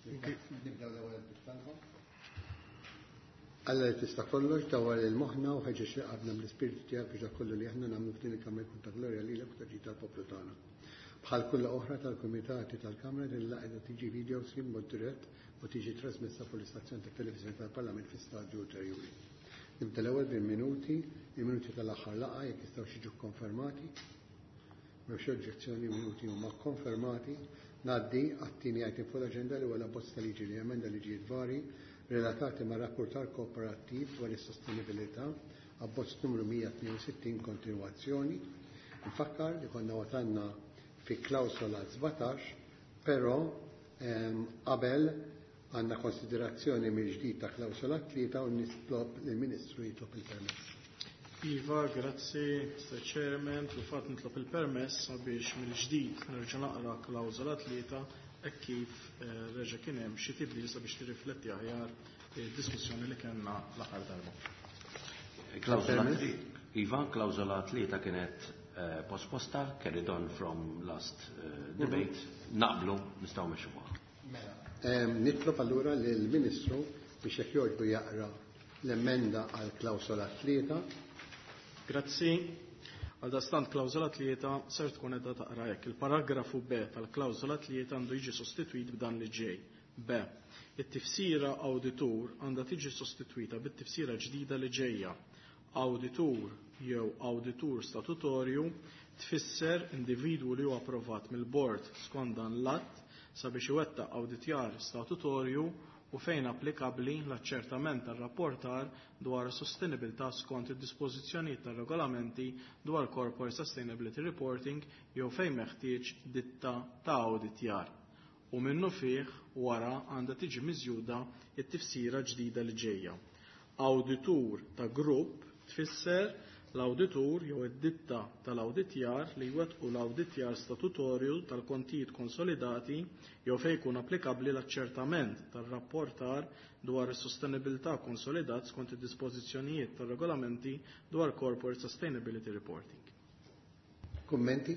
Nibdew l-ewwel bit-talba. Alla li tista' kollox dawwar lil moħħna u ħeġġeġ lil qalbna bl-Ispirtu tiegħek biex dak kollu li aħna nagħmlu f'din il-Kamra jkun ta' glorja lilek u ta' ġid tal-poplu tagħna. Bħal kull laqgħa oħra tal-Kumitati tal-Kamra din il-laqgħa qiegħda tiġi video stream b'mod dirett u tiġi trasmessa fuq l-istazzjon tat-televiżjoni tal-Parlament fi stadju ulterjuri. Nibda l-ewwel bil-minuti, il-minuti tal-aħħar laqgħa jekk jistgħux jiġu kkonfermati. M'hemmx oġġezzjoni, il-minuti huma kkonfermati. Ngħaddi għat-tieni item fuq l-aġenda li huwa l-abbozz ta' liġi li jemenda liġijiet varji relatati ma' rapportar kooperattiv dwar is-sostenibilità, abbozz numru 162 kontinwazzjoni. Nfakkar li konna wasalna fi klawsola 17, però qabel għandna konsiderazzjoni mill-ġdid ta' klawsola 3 u nitlob lill-Ministru jitlob il-permess. Iva, grazzi, Mr. Chairman. Fil-fatt nitlob il-permess sabiex mill-ġdid nerġa' naqra klawsola 3 hekk kif reġa' kien hemm xi tibdil sabiex tirrifletti aħjar id-diskussjoni li kellna l-aħħar darba. Klawsola Iva, klawsola 3 kienet posposta, carried on from last debate, naqblu nistgħu mexxu magħha. Mela, nitlob allura lill-Ministru biex jekk jogħġbu jaqra l-emenda għal klawsola 3. Grazzi. Għaldaqstant klawsola 3 ser tkun qiegħda taqra hekk. Il-paragrafu B tal-klawsola 3 għandu jiġi sostitwit b'dan li ġej. B. It-tifsira awditur għandha tiġi sostitwita bit-tifsira ġdida li ġejja. Awditur jew awditur statutorju tfisser individwu li huwa approvat mill-bord skont dan l-att sabiex iwettaq awditjar statutorju u fejn applikabbli l-aċċertament tar-rapportar dwar is-sostenibilità skont id-dispożizzjonijiet tar-regolamenti dwar Corporate Sustainability Reporting jew fejn meħtieġ ditta ta' awditjar. U minnufih wara għandha tiġi miżjuda t-tifsira ġdida li ġejja. Awditur ta' grupp tfisser l-awditur jew id-ditta tal-awditjar li jwettqu l-awditjar statutorju tal-kontijiet konsolidati jew fejn jkun applikabbli l-aċċertament tar-rapportar dwar is-sostenibilità konsolidat skont id-dispożizzjonijiet tar-regolamenti dwar Corporate Sustainability Reporting. Kummenti?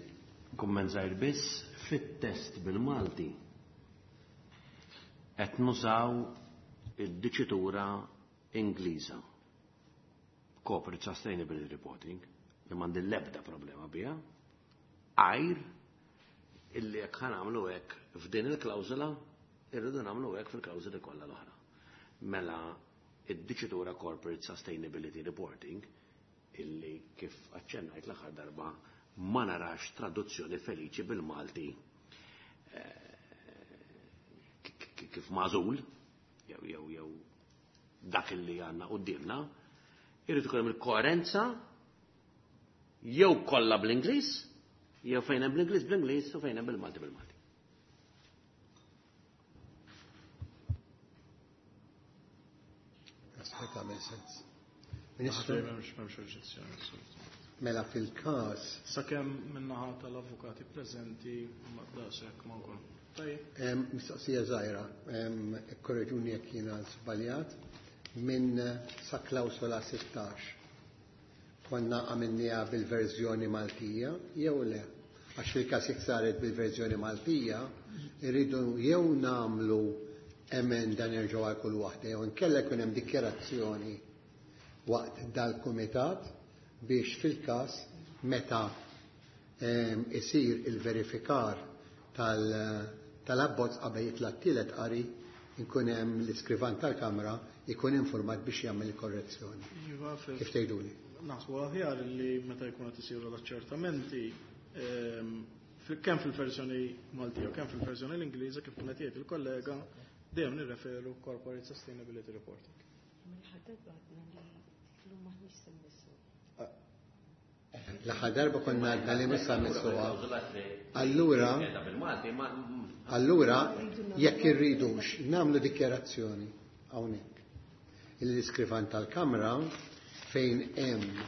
Kumment żgħir biss, fit-test bil-Malti qed nużaw id-diċitura Ingliża. Corporate Sustainability Reporting, li m'għandi l-ebda problema biha, għajr illi jekk ħa nagħmlu hekk f'din il-klawżola, irridu nagħmlu hekk fil-klawżoli kollha l-oħra. Mela id-diċitura Corporate Sustainability Reporting, illi kif aċċennajt l-aħħar darba ma narax traduzzjoni feliċi bil-Malti kif magħżul, jew jew jew dak illi għandna quddiemna, irid ikun hemm il-koerenza jew kollha bl-Ingliż, jew fejn hemm bl-Ingliż bl-Ingliż u fejn hemm bil-Malti bil-Malti. Naħseb tagħmel sens. Ministru? M'hemmx oġġezzjoni. Mela fil-każ. Sakemm min-naħa tal-avukati preżenti ma daqshekk ma nkun. Tajjeb. Mistoqsija żgħira, ikkorreġuni jekk jiena żbaljat, minn sa klawsola 16. Konna għamilniha bil-verżjoni Maltija jew le? Għax fil-każ jekk saret bil-verżjoni Maltija, irridu jew nagħmlu emenda nerġgħu għal kull waħda jew inkella jkun hemm dikjarazzjoni waqt dal-kumitat biex fil-każ meta isir il-verifikar tal-abbozz qabel jitla' t-tielet qari nkun hemm l-iskrivan tal-Kamra jkun informat biex jagħmel il-korrezzjoni. Iva, Kif tgħiduli? Naħsbu aħjar li meta jkun qed isiru l-aċċertamenti kemm fil-verżjoni Maltija u kemm fil-verżjoni l-Ingliża kif kienet jgħid il-kollega dejjem nirreferu Corporate Sustainability Reporting. L-aħħar darba konna għadna li mhux sa missuha. Allura, allura jekk irridux nagħmlu dikjarazzjoni hawnhekk. Il-iskrivan tal-Kamra fejn hemm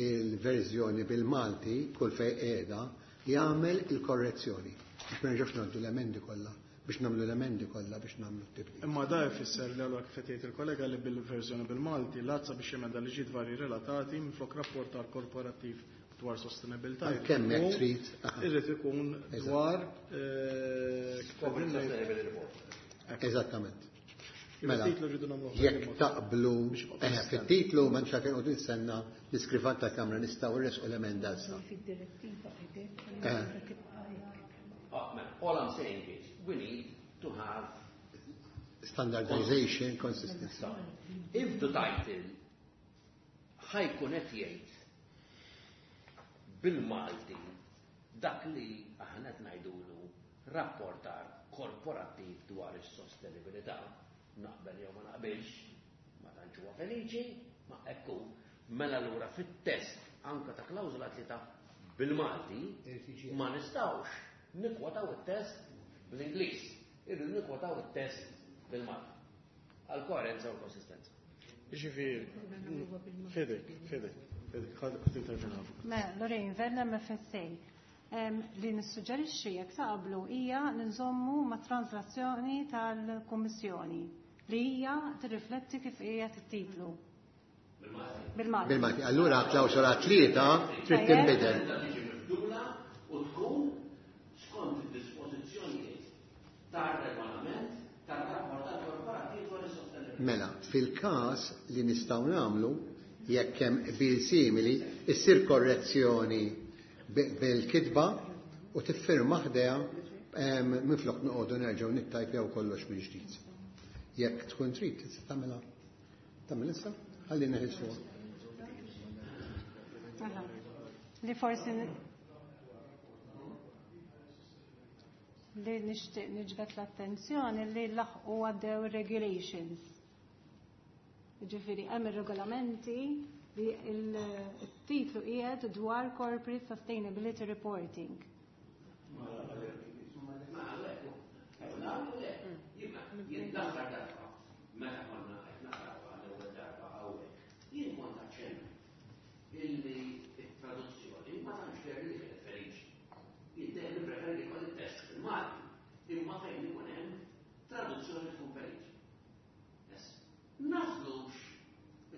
il-verżjoni bil-Malti kull fejn qiegħda jagħmel il-korrezzjoni biex ma nerġgħux ngħaddu l-emendi kollha biex nagħmlu l-emendi kollha biex nagħmlu t-tibdil. Imma da jfisser li allura kif qed jgħid il-kollega li bil-verżjoni bil-Malti l-għazza biex jemenda liġijiet varji relatati minflok rapportar korporattiv dwar sostenibilità. Għalkemm jekk trid. Irid ikun dwar Corporate Sustainability Report. Eżattament. Mela, Il-titlu rridu nagħmluh jekk taqblu, Biex jibqa' eh, konsistenti. fit-titlu ma nxaken u nistenna l-iskrivan tal-Kamra nistgħu nresqu l-emenda issa. Fid-direttiva qegħdek, Eh. tibqa' hekk. All I'm saying is we need to have Standardization, consistency. If the title ħa jkun qed jgħid bil-Malti dak li aħna qed ngħidulu rapportar korporattiv dwar is-sostenibilità, naqbel jew ma naqbilx, ma tantx huwa feliċi, ma ekku, mela allura fit-test anka ta' klawżola 3 bil-Malti ma nistgħux nikkwotaw it-test bl-Ingliż, irridu nikkwotaw it-test bil-Malti. Għal koerenza u konsistenza. Ġifieri, fidejk, fidejk, fidejk, ħa tintervjena. Mela, Lorraine, Vella MFSA. Li nissuġġerixxi jekk taqblu hija li nżommu ma' translazzjoni tal-Kummissjoni li hija tirrifletti kif hija t-titlu. Bil-Malti. Bil-Malti. Allura klawsola 3 trid tinbidel. Tiġi mibdula u tkun skont id-dispożizzjonijiet tar-regolament tar-rapportar korporattiv dwar is-sostenibilità. Mela, fil-każ li nistgħu nagħmlu jekk hemm qbil simili, issir korrezzjoni bil-kitba u tiffirma ħdejha minflok noqogħdu nerġgħu nittajpjaw kollox mill-ġdid. Jekk tkun trid tista' tagħmilha. Tagħmel issa? Ħalli neħilsuha. Mela, li forsi li nixtieq niġbed l-attenzjoni li laħqu għaddew regulations. Ġifieri hemm ir-regolamenti li il-titlu qiegħed dwar Corporate Sustainability Reporting. Jien l-aħħar darba, meta konna qed naqraw għall-ewwel darba hawnhekk, jien kont aċċennajt illi t-traduzzjoni ma tantx deher li kienet feliċi. Jien dejjem nippreferi li jkolli test fil-Malti, imma fejn ikun hemm traduzzjoni tkun feliċi. Yes. Nażlux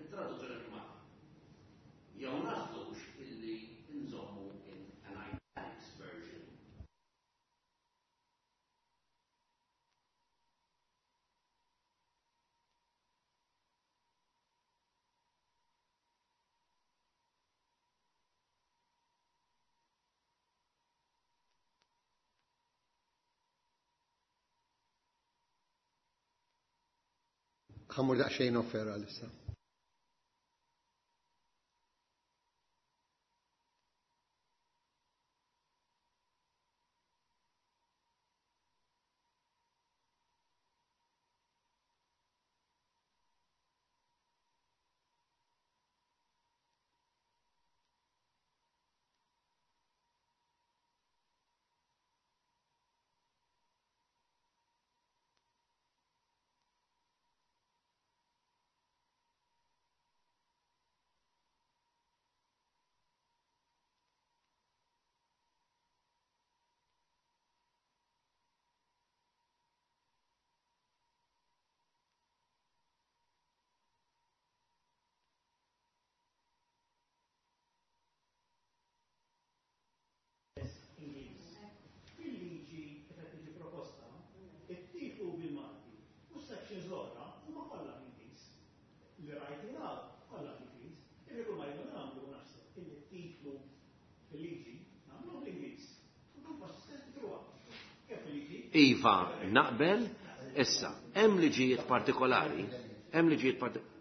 it-traduzzjoni fil-Malti. Jew nażlux illi nżommu in an italics version. Ħa mmur daqsxejn off air għalissa. Ingliż. Fil-liġi qed tiġi proposta, it-titlu bil-Malti u s-sections l-oħra huma kollha bl-Ingliż. Li rajt jingħad kollha bl-Ingliż. Irridu ma jridu nagħmlu naħseb illi t-titlu fil-liġi nagħmlu bl-Ingliż. Tkun konsistenti throughout. Kemm fil-liġi? Iva, naqbel, issa, hemm liġijiet partikolari, hemm liġijiet partikolari.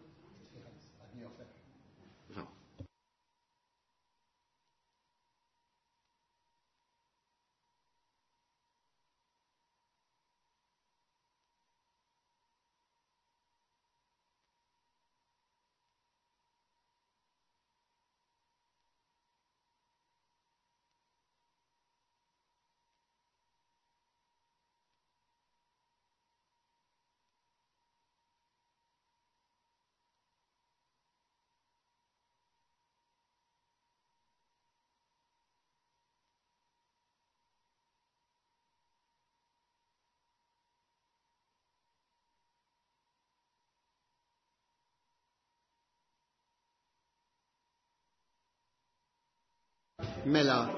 Mela,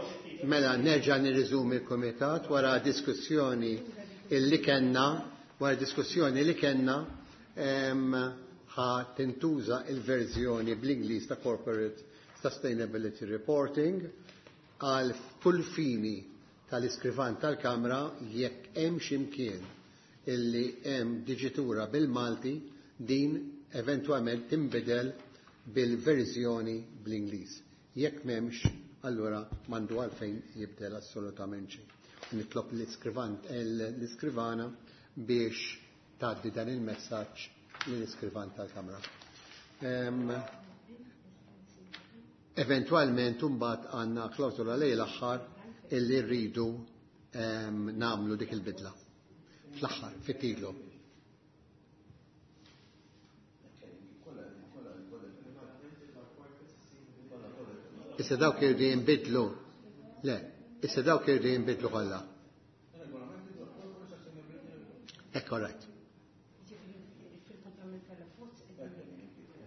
nerġa' nirriżumi l-Kumitat wara diskussjoni illi kellna Wara diskussjoni li kellna ħa tintuża il-verżjoni bl-Ingliż ta' Corporate Sustainability Reporting għal kull fini tal-iskrivan tal-Kamra jekk hemm x'imkien illi hemm diġitura bil-Malti din eventwalment tinbidel bil-verżjoni bl-Ingliż. Jekk m'hemmx, allura m'għandu għalfejn jibdel assolutament xejn. Nitlob l-iskrivana biex tgħaddi dan il-messaġġ lill-iskrivan tal-Kamra. Eventwalment imbagħad għandna klawsola lejn l-aħħar illi rridu nagħmlu dik il-bidla. Fl-aħħar, fit-titlu. Issa dawk irridu jinbidlu. Le, issa dawk irridu jinbidlu kollha. Hekk correct.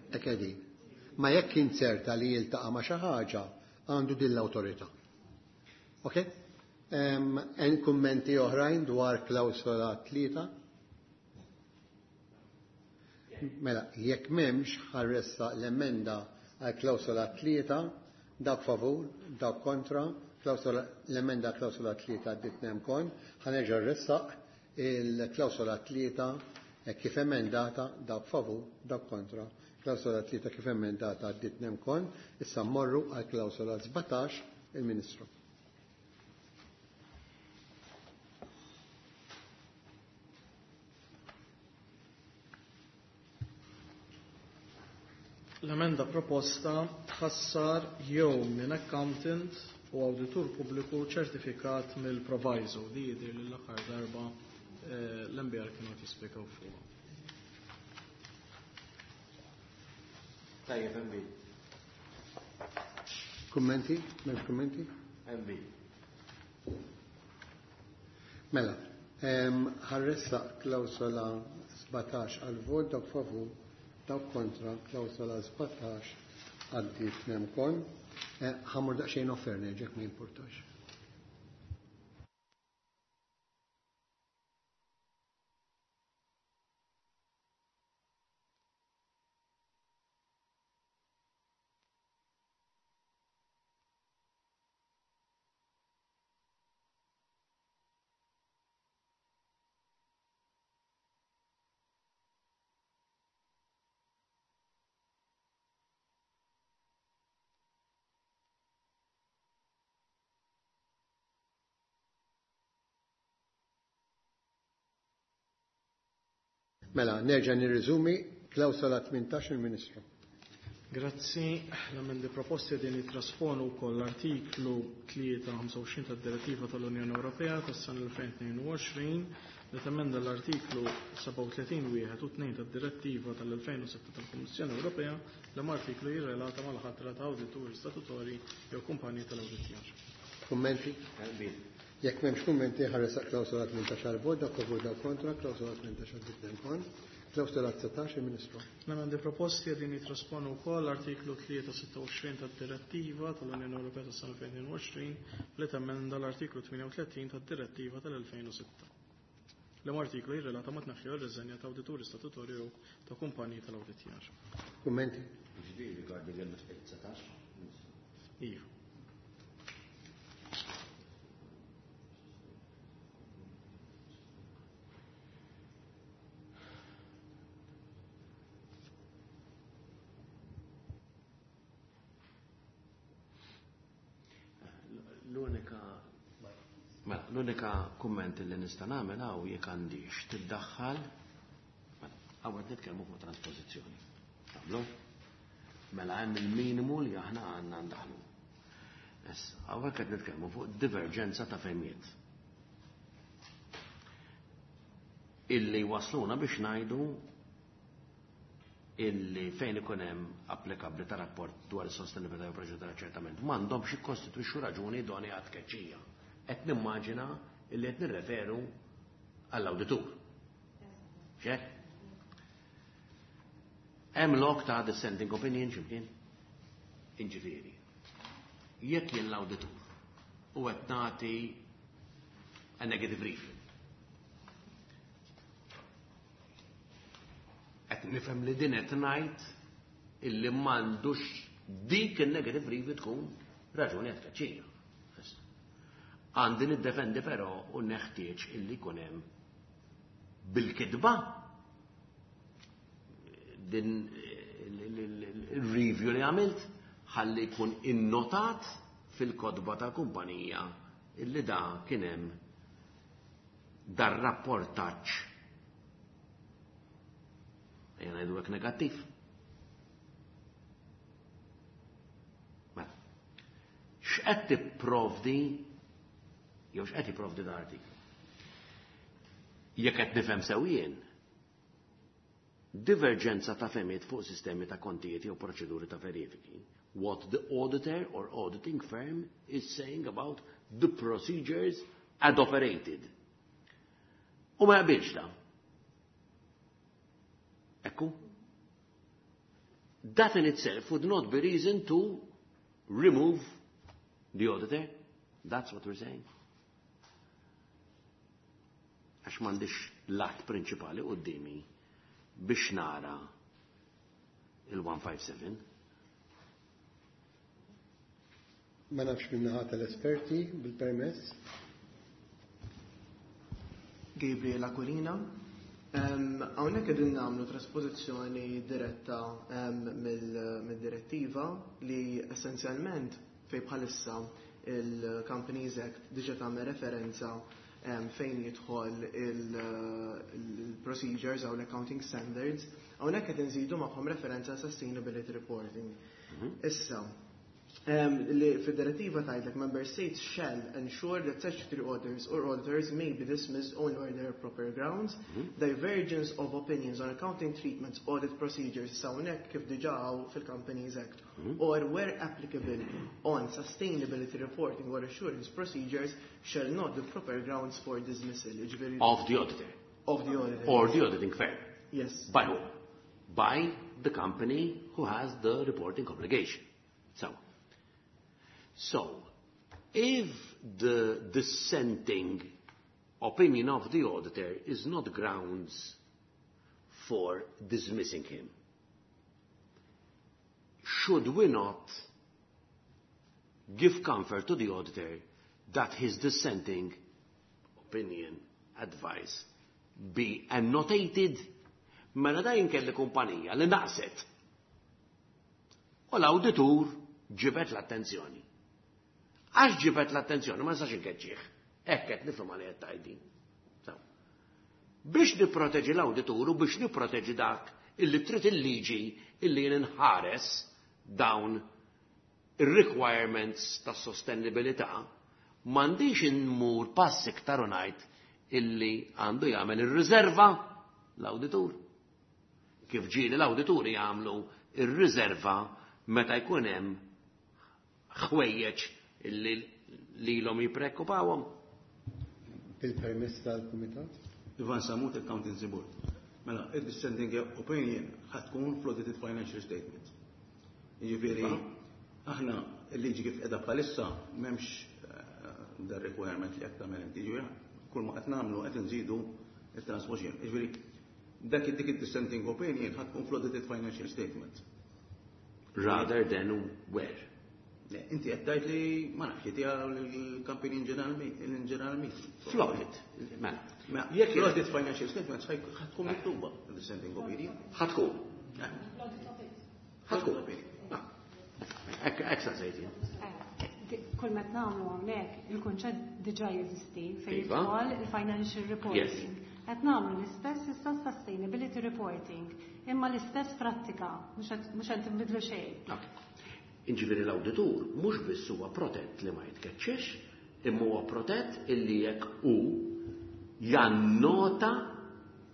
Hekk qegħdin. Ma jekk inzerta li jiltaqa' ma' xi ħaġa, għandu din l-awtorità. Ok? Hemm kummenti oħrajn dwar klawsola 3? Mela, jekk m'hemmx ħarressa l-emenda għal klawsola 3, dak favur, dak kontra, l-emenda klawsola 3 għaddit nemkon, ħanerġa' ressaq il-klawsola 3 kif emendata, dak favur, dak kontra, klawsola 3 kif emendata għaddit nemkon, issa mmorru għal klawsola 17, il-Ministru. L-emenda proposta tħassar jew minn accountant u awditur pubbliku ċertifikat mill-proviso li jidher li l-aħħar darba l-MBR kienu qed jispjegaw fuqha. Tajjeb, MB. Kummenti? M'hemmx kummenti? MB. Mela, ħarressa klawsola 17 għal vot, dawk favur, dawk kontra, klawsola 17 għaddiet nemkon. Ħammur daqsxejn offerni, ġek ma jimpurtax. Mela, nerġa' nirriżumi klawsola 18 il-Ministru. Grazzi. L-emendi proposti din jitrasponu wkoll l-artiklu 325 tad-Direttiva tal-Unjoni Ewropea tas-sena 2022 li temenda l-artiklu 37 wieħed u 2 tad-Direttiva tal-2006 tal-Kummissjoni Ewropea li artiklu jirrelata mal-ħatra ta' awdituri statutorji jew kumpaniji tal-awditjar. Kummenti? Jekk m'hemmx kummenti ħaresaq klawsola 18 għal vot, dak favur dak kontra, klawsola 18 għal kon, klawsola 19 il-Ministru. L-emendi proposti qegħdin jitrasponu wkoll l-artiklu 326 tad-Direttiva tal-Unjoni Ewropea tas-sena 2022 li temenda l-artiklu 38 tad-Direttiva tal-2006. L-artiklu jirrelata ma' tneħħi r-riżenja ta' awdituri statutorju jew ta' kumpaniji tal-awditjar. Kummenti? Ġifieri rigward il-19? Iva. L-unika kumment li nista' nagħmel hawn jekk għandix tiddaħħal, mela, hawn qed nitkellmu fuq transpożizzjoni. Taqblu? Mela hemm il-minimu li aħna għandna ndaħlu. Issa, hawnhekk qed nitkellmu fuq diverġenza ta' fehmiet. Illi wasluna biex ngħidu illi fejn ikun hemm applikabbli ta' rapport dwar is-sostenibilità u proċedura ċertament m'għandhomx jikkostitwixxu raġuni idonea għat-tkeċċija. Qed nimmaġina illi qed nirreferu għall-awditur. Xek? Hemm lok ta' dissenting opinion x'imkien? Inġifieri. Jekk jien l-awditur u qed nagħti a negative review. Qed nifhem li din qed ngħid illi m'għandux dik il-negative review tkun raġuni għat-tkeċċija. Għandi niddefendi però u neħtieġ illi jkun hemm bil-kitba din il-review li għamilt ħalli jkun innotat fil-kotba tal-kumpanija illi da kien hemm dar rapportaġġ ejja ngħidu hekk negattiv. Mela, x'qed tipprovdi jew x'qed jipprovdi dan artiklu? Jekk qed nifhem sew jien, diverġenza ta' fehmiet fuq sistemi ta' kontijiet jew proċeduri ta' verifiki. What the auditor or auditing firm is saying about the procedures ad operated. U ma jaqbilx da. Ekku. That in itself would not be reason to remove the auditor. That's what we're saying. Għax m'għandix l-att prinċipali qudiemi biex nara il-157. Ma nafx min-naħa tal-esperti bil-permess. Gabriel Aquilina. Hawnhekk qegħdin nagħmlu trasposizzjoni diretta mid-direttiva li essenzjalment fej bħalissa il-Companies Act diġa tagħmel referenza fejn jidħol il-procedures u l-accounting standards, hawnhekk qed inżidu magħhom referenza sustainability reporting. Issa, li fid-direttiva tgħidlek member states shall ensure that statutory auditors or auditors may be dismissed only where there are proper grounds. Divergence of opinions on accounting treatments, audit procedures, hawnhekk kif diġà hawn fil-Companies Act, or where applicable on sustainability reporting or assurance procedures shall not be proper grounds for dismissal. Jiġifieri- Of the auditor. Of the auditor. Or the auditing firm. Yes. By who? By the company who has the reporting obligation. So, if the dissenting opinion of the auditor is not grounds for dismissing him, should we not give comfort to the auditor that his dissenting opinion, advice, be annotated? Mela da kelli kumpanija li naqset. U l-awditur ġibet l-attenzjoni. Għax ġibet l-attenzjoni, ma nistax inkeċċih. Hekk qed nifhem għalih qed tgħidin. Biex nipproteġi l-awditur u biex nipproteġi dak illi trid il-liġi illi jien inħares dawn ir-requirements ta' sostenibilità, m'għandix inmur pass iktar u ngħid illi għandu jagħmel ir-riserva l-awditur. Kif ġieli l-awdituri jagħmlu ir-riserva meta jkun hemm ħwejjeġ illi lilhom jippreokkupawhom. Bil-permess tal-Kumitat? Ivan Samut, Accountancy Board. Mela, il-dissenting opinion ħa tkun fl-audited financial statement. Jiġifieri, aħna il-liġi kif qiegħda bħalissa m'hemmx dar requirement li qed tagħmel inti, jiġifieri kull ma qed nagħmlu qed nżidu il-transposition. Jiġifieri, dak dik il-dissenting opinion ħa tkun fl-audited financial statement. Rather than where? Le, inti qed tgħid li ma nafx li tiegħu l-company in general meeting. Fl-audit, mela. Ma jekk l-audit financial statements ħa tkun miktuba dissenting opinion. Ħa tkun. Ħa tkun. Hekk sa sejti. Kull ma nagħmlu hawnhekk il-kunċett diġà jeżisti fejn jidħol il-financial reporting. Qed nagħmlu l-istess issa sustainability reporting, imma l-istess prattika, mhux qed tinbidlu xejn. Jiġifieri l-awditur mhux biss huwa protett li ma jitkeċċiex, imma huwa protett illi jekk hu jannota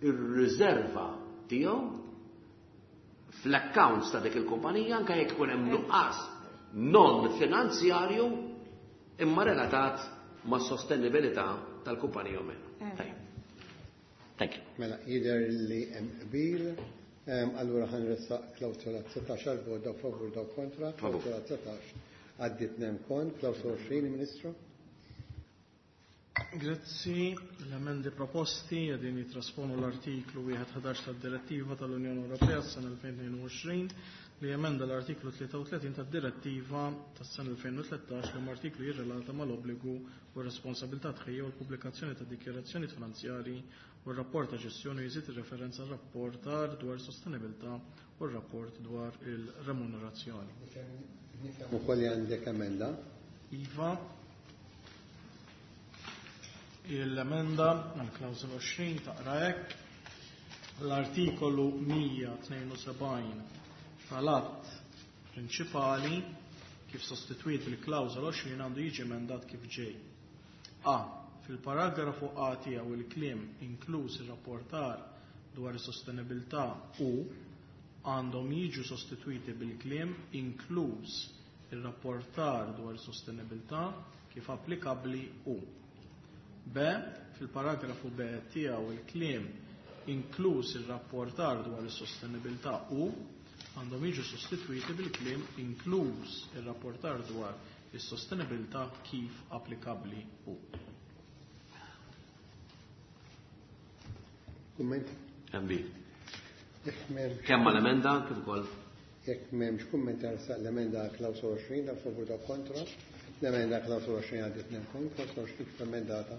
ir-riserva tiegħu fl-accounts ta' dik il-kumpanija anke jekk ikun hemm nuqqas non finanzjarju imma relatat ma' sostenibilità tal-kumpanija u meno. Tajjeb. Thank you. Mela, jidher li hemm qbil, allura ħa nressaq klawsola 19 għal vot dawk favur dawk kontra, Favur. klawsola 19 għaddiet nem kon, klawsola 20, Ministru. Grazzi, l-emendi proposti qegħdin jitrasponu l-artiklu 1.11 tad-Direttiva tal-Unjoni Ewropea s-sena 2022 li emenda l-artiklu 33 tad-Direttiva tas-sena 2013 li artiklu jirrelata mal-obbligu u r-responsabilità tħejja u l-pubblikazzjoni ta' dikjarazzjoni finanzjarji u r-rapport ta' ġestjoni jżid ir-referenza rapportar dwar sostenibilità u r-rapport dwar il-remunerazzjoni. Nifhem ukoll li għandek emenda. Iva, l-emenda għal-klawżola 20 taqra hekk l-artikolu 172 tal-att prinċipali kif sostitwit il-klawżola 20 għandu jiġi emendat kif ġej. A. Fil-paragrafu A tiegħu il-kliem inkluż ir-rapportar dwar is-sostenibilità u għandhom jiġu sostitwiti bil-kliem inkluż ir-rapportar dwar is-sostenibilità kif applikabbli u. B. Fil-paragrafu B tiegħu il-kliem inkluż ir-rapportar dwar is-sostenibilità u għandhom jiġu sostitwiti bil-kliem inkluż ir-rapportar dwar is-sostenibilità kif applikabbli u. Kumment? MB. Jekk m'hemmx Kemm mal-emenda kif ukoll jekk m'hemmx kumment saq l-emenda klawsola 20 dak favur dak kontra. L-emenda klawsola 20 għaddiet kont, klawsola 20 kif emendata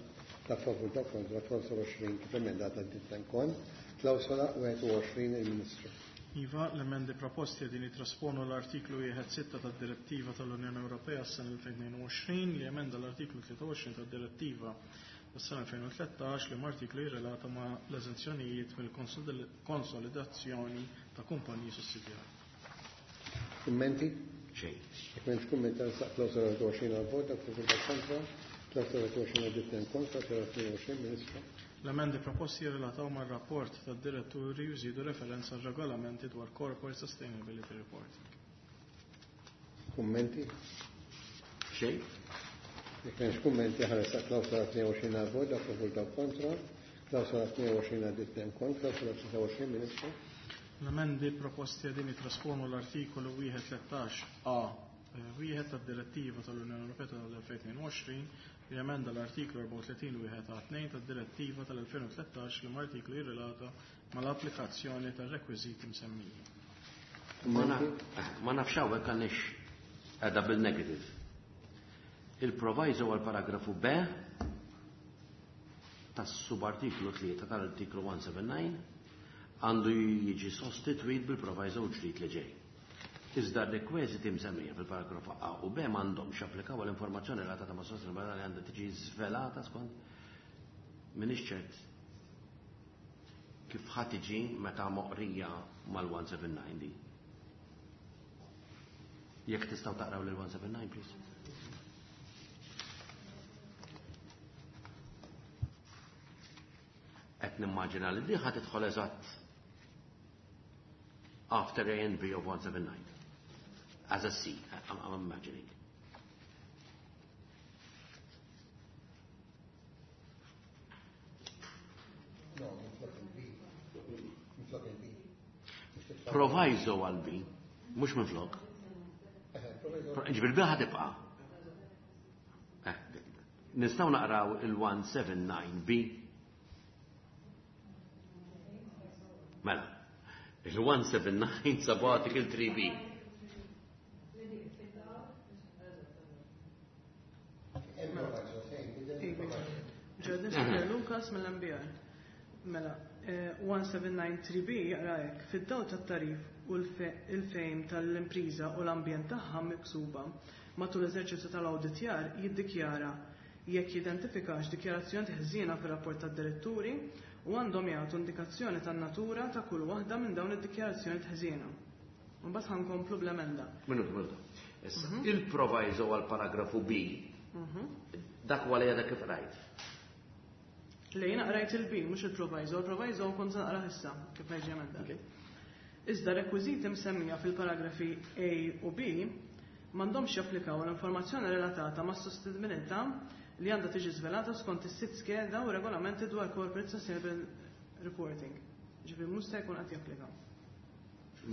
dak favur dak kontra, klawsola 20 kif emendata għaddiet kont, klawsola 21 il-Ministru. Iva, l-emendi proposti qegħdin jitrasponu l-artiklu 1.6 tad-Direttiva tal-Unjoni Ewropea s-sena 2022 li emenda l-artiklu 23 tad-Direttiva tas-sena 2013 li artiklu jirrelata ma' l-eżenzjonijiet mill-konsolidazzjoni ta' kumpaniji sussidjarji. Kummenti? Xejn. Jekk m'hemmx kumment saq klawsola 21 għal-vot dak favur dak kontra, klawsola 21 għaddiet kontra, klawsola 22 Ministru. L-emendi proposti jirrelataw mar-rapport tad-diretturi jżidu referenza għal regolamenti dwar Corporate Sustainability Reporting. Kummenti? Xejn. Jekk m'hemmx kummenti ħares klawsola 22 għal-vot dak favur dak kontra, klawsola 22 għaddiet kont, klawsola 23 Ministru. L-emendi proposti qegħdin jitrasponu l-artikolu 1.13 A wieħed tad-Direttiva tal-Unjoni Ewropea tal-2022 li emenda l-artiklu 34 wieħed A 2 tad-Direttiva tal-2013 li artiklu jirrelata mal-applikazzjoni tar-rekwiżiti msemmija. Ma nafx hawnhekk għandix qiegħda bil-negative. Il-proviso għal paragrafu B tas-subartiklu 3 tal-artiklu 179 għandu jiġi sostitwit bil-proviso ġdid li ġej. Iżda r-rekwiżiti msemmija fil-paragrafu A u B m'għandhomx japplikaw għal informazzjoni relatata ma' sostenibilità li għandha tiġi żvelata skont m'iniex ċert kif ħa tiġi meta moqrija mal-179 di. Jekk tistgħu taqraw lil 179, please. Qed nimmaġina li di ħa tidħol eżatt after A and B of 179. As a C, I'm imagining. No, minflok il-B. Minflok il-B. Proviso għal B, mhux minflok. Ġifieri B ħa tibqa'. Nistgħu naqraw il-179B. Mela, il-179 sub article 3B. Ġedin Lukas mill-MBR. Mela, 1793B jaqra hekk, fid-dawl tat-tagħrif u l-fehim tal-impriża u l-ambjent tagħha miksuba matul l-eżerċizzju tal-awditjar jiddikjara jekk jidentifikax dikjarazzjoni ħżiena fir-rapport tad-diretturi u għandhom jagħtu indikazzjoni tan-natura ta' kull waħda minn dawn id-dikjarazzjoni ħżiena. Mbagħad ħankomplu bl-emenda. Minuta, minuta. Issa, il-proviso għal paragrafu B, dak huwa li għadha kif rajt. Le jiena qrajt il-B, mhux il-proviso, il-proviso kont se naqra issa kif ħeġi emenda. Iżda rekwiżiti msemmija fil-paragrafi A u B m'għandhomx japplikaw l-informazzjoni relatata ma' sostenibilità li għandha tiġi żvelata skont is-sitt skeda u regolamenti dwar Corporate Sustainable Reporting. Ġifieri mhux se jkun qed japplikaw.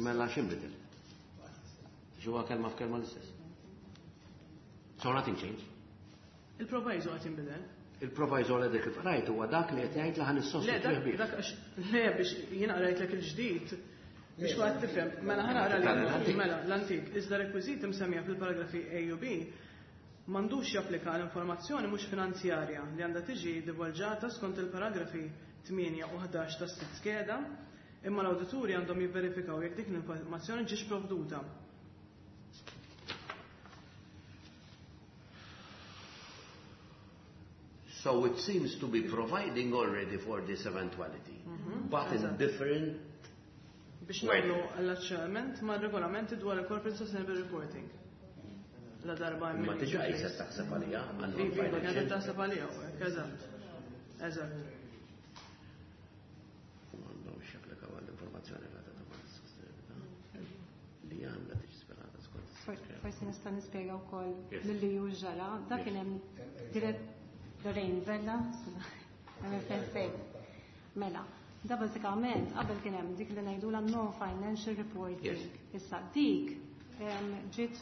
Mela x'inbidel? Ġewwa kelma f'kelma l-istess. So nothing changed. Il-proviso qed jinbidel. Il-proviso li dik rajt huwa dak li qed jgħid li ħan Le, issostitwih bih. dak għax, le, biex jiena qrajtlek il-ġdid, biex ma tifhem, mela ħa naqra li mela l-antik, iżda rekwiżiti msemmija fil-paragrafi A u B m'għandux japplika għal informazzjoni mhux finanzjarja li għandha tiġi divulġata skont il-paragrafi 8 u 11 tas-sitt skeda, imma l-awdituri għandhom jivverifikaw jekk dik l-informazzjoni ġiex provduta. So it seems to be providing already for this eventuality, but in different Biex Wait. nagħmlu allaċċament ma' regolamenti dwar il-Corporate Sustainable Reporting. La darba hemm Ma il-liġi diġà in qisek place. taħseb għalija għal Iva, iva, kienet non-financial. taħseb għalija, u hekk, eżatt. Eżatt. M'għandhomx japplikaw għall-informazzjoni relatata mas-sostenibilità li għandha tiġi svelata skont is-sitt Forsi nista' nispjega wkoll Yes. lilli ju ġara. Dak kien hemm dirett Lorraine Vella, MFSA. Mela, da bażikament qabel kien hemm dik li ngħidulha non-financial reporting. Yes. Issa dik ġiet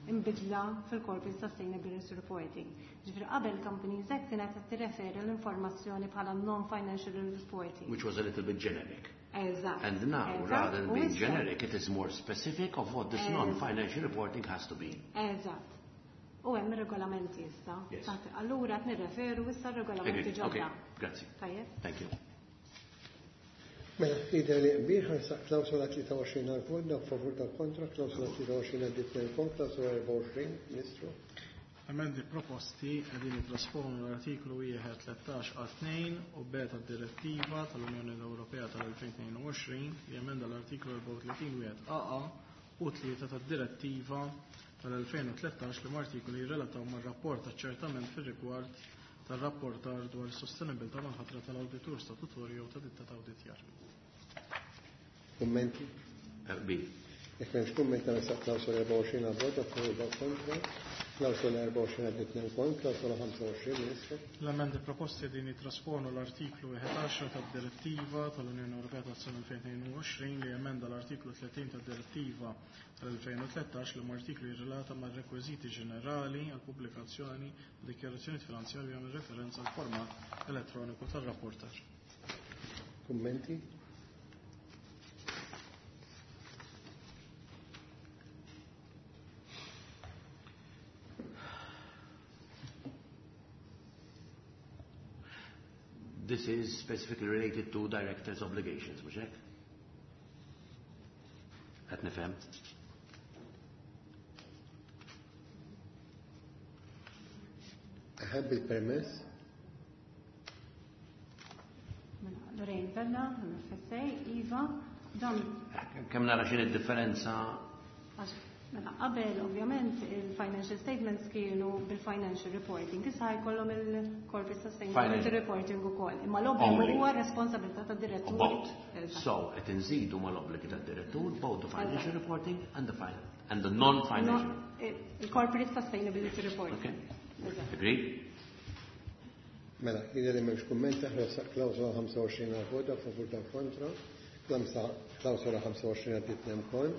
imbidla fil-Corporate Sustainability Reporting. Ġifieri qabel Companies Act kienet qed tirreferi l-informazzjoni bħala non-financial reporting. Which was a little bit generic. Eżatt. And now, Eżatt. rather than U being issa- generic, it is more specific of what this Eżatt. non-financial reporting has to be. Eżatt. U hemm regolamenti issa. Yes. Taħt- Allura qed nirreferu issa regolamenti Agreed. Okay, ġodda. grazzi. Tajjeb? Thank you. Mela, jidher li qbil ħansaq klawsola 23 għal-vot, dak favur dak kontra, klawsola 23 għaddit l-kon, klawsola 24, Ministru. Emendi proposti qegħdin jitrasponu l-artiklu 1 13 a 2 u B tad-Direttiva tal-Unjoni Ewropea tal-2022 li emenda l-artiklu 34 wieħed AA u 3 tad-Direttiva tal-2013 li artikoli jirrelataw mar-rapport aċċertament fir-rigward tar-rapportar dwar is-sostenibilità mal-ħatra tal-awditur statutorju jew ta' ditta ta' awditjar. Kummenti? B. Jekk m'hemmx kumment nagħmel klawsola 24 għal-vot, dak favur dak kontra, klawsola 24 għaddit l-kon, klawsola 25, Ministru. L-emendi proposti din jitrasponu l-artiklu 11 tad-Direttiva tal-Unjoni Ewropea tas-sena 2022 li emenda l-artiklu 30 tad-Direttiva tal-2013 li artiklu jirrelata mar rekwiżiti ġenerali għal pubblikazzjoni u dikjarazzjoni finanzjarja minn referenza għal format elettroniku tar-rapportar. Kummenti? This is specifically related to directors' obligations, mhux hekk? Qed nifhem. Aħeb il-permess? Mela, Lorraine Vella, MFSA, Iva, dan Kemm nara x'in id-differenza għax mela qabel ovvjament il-financial statements kienu bil-financial reporting, issa ħajkollhom il-corporate sustainability Financial. reporting ukoll. Imma l-obbligu Only. huwa responsabilità tad-direttur. both. Eżatt. So qed inżidu mal-obbligi tad-direttur both the financial reporting and the fin and the non-financial. No, il-corporate sustainability reporting. Okay. Eżatt. Agreed? Mela, jidher li m'hemmx kumment aħna klawsola 25 għal-vot, dak favur dak kontra, klawsola 25 għaddit l-kon,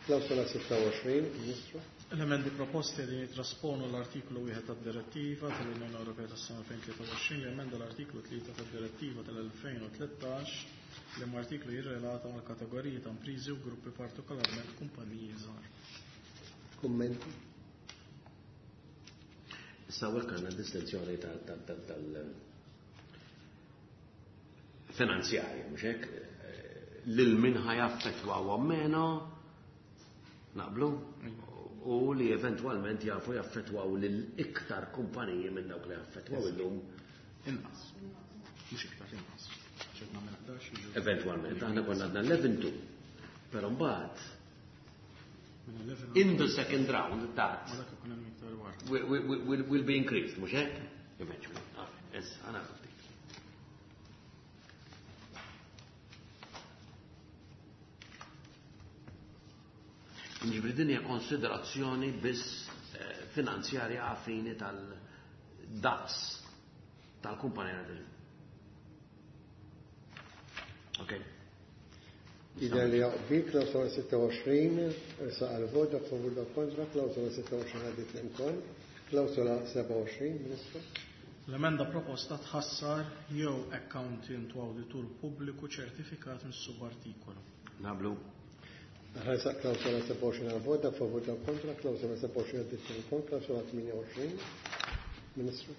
klawsola 26, Ministru. L-emendi proposti li jitrasponu l-artiklu 1 tad-Direttiva tal-Unjoni Ewropea tas-sena 2023 li emenda l-artiklu 3 tad-Direttiva tal-2013 li ma artiklu jirrelata mal kategoriji ta' imprizi u gruppi partikolarment kumpaniji żgħar. Kummenti? Issa hawnhekk għandna distinzjoni tal finanzjarja, mhux hekk? Lil min ħajaffettwaw meno naqblu u li eventwalment jafu jaffettwaw lil iktar kumpaniji minn dawk li jaffettwaw illum Inqas. Mhux iktar inqas. Ċertna minn 11 jiġu eventwalment. Aħna konna għadna 11-2. Però mbagħad minn 11 in the second round that ma dak ikun hemm iktar wara. will be increased, mhux hekk? Eventually. Ah, Issa, għana ftit. Ġifri din hija konsiderazzjoni biss finanzjarja għafini tal-daqs tal-kumpanija. Ok. Jidher li jaqbi, klawsola 26, irsa għal-vot, dak favur dak kontra, klawsola 26 għaddit l-imkon, klawsola 27, Ministru. L-emenda proposta tħassar jew accountant u awditur pubbliku ċertifikat mis-subartikolu. Naqblu. Ħaresaq klawsola 27 għal vot, dak favur, dak kontra, klawsola 27 għaddiet ukoll, klawsola 28. Ministru.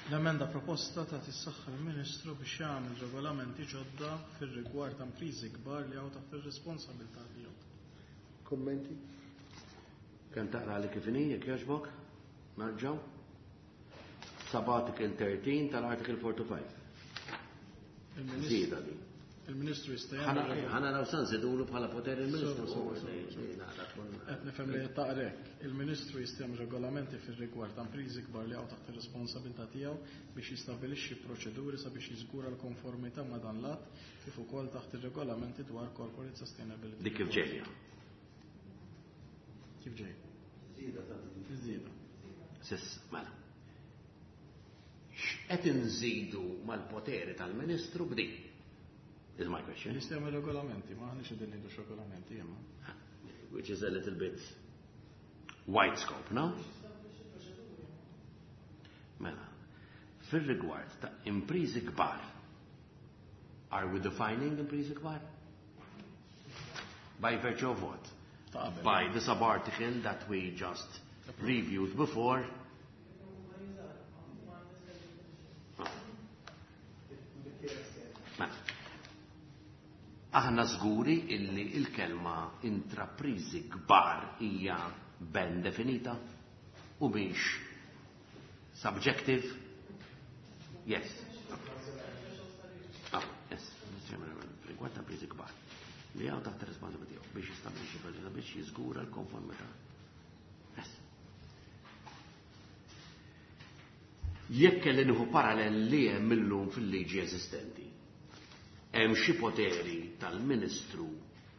L-emenda proposta tagħti s-saħħa lill-Ministru biex jagħmel regolamenti ġodda fir-rigward ta' impriżi kbar li hawn taħt ir-responsabilità tiegħu. Kummenti? Kemm taqra li kif inhi, jekk jogħġbok? Narġgħu. Sub-article 13 tal-article 45. Żieda din. Il-Ministru jista' jagħmel. Ħa naraw sa nżidulu bħala poter il-Ministru. Qed nifhem li qed taqra hekk. Il-Ministru jista' jagħmel regolamenti fir-rigward ta' impriżi kbar li hawn taħt ir-responsabilità tiegħu biex jistabbilixxi proċeduri sabiex jiżgura l-konformità ma' dan l-att kif ukoll taħt ir-regolamenti dwar corporate sustainability. Dik kif ġejja. Kif ġej? Żieda. Sis, mela. X'qed inżidu mal-poteri tal-Ministru b'din? Is my question. Jista' jagħmel regolamenti, ma aħniex qegħdin ngħidu x'regolamenti imma. Which is a little bit wide scope, no? Mela, fil-rigward ta' imprizi kbar, are we defining imprizi kbar? By virtue of what? Ta' qabel. By the sub-article that we just reviewed before. Ah. Mela. Aħna żguri illi il-kelma intraprizi kbar hija ben definita u mhix subjective? Yes. Ah, yes. Rigward ta' imprizi kbar. Li hawn taħt responsabilità tiegħu biex jistabbilixxi proċedura biex jiżgura l-konformità. Yes. Jekk kelli nieħu parallel li hemm illum fil-liġi eżistenti, hemm xi poteri tal-Ministru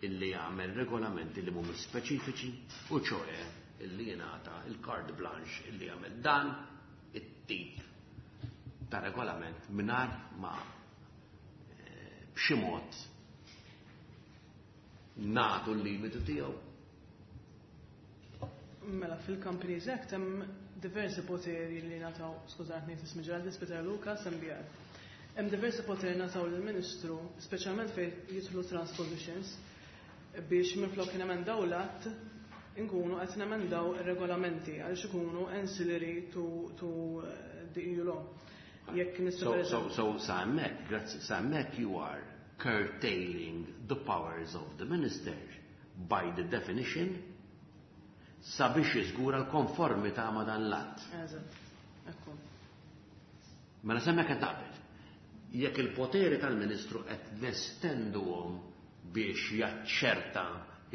illi jagħmel regolamenti li mhumiex speċifiċi u ċoe illi jingħata il-carte blanche illi jagħmel dan it-tip ta' regolament mingħajr ma b'xi mod nagħtu l-limitu tiegħu. Mela, fil-Companies Act hemm diversi poteri li ngħataw, skużatni, tismi Geraldine Spiteri Lucas, MBR. Hemm diversi poteri ngħataw lill-Ministru, speċjalment fejn jidħlu transpositions, biex minflok nemendaw l-att inkunu qed nemendaw ir-regolamenti għaliex ikunu ancillary to the EU law. Jekk nista' So, per so, eżempju- so, sa hemmhekk, grazzi, sa hemmhekk you are curtailing the powers of the minister by the definition sabiex jiżgura l-konformità ma' dan l-att. Eżatt, ekku. Mela s'hemmhekk qed naqbel. Jekk il-poteri tal-Ministru qed nestenduhom biex jaċċerta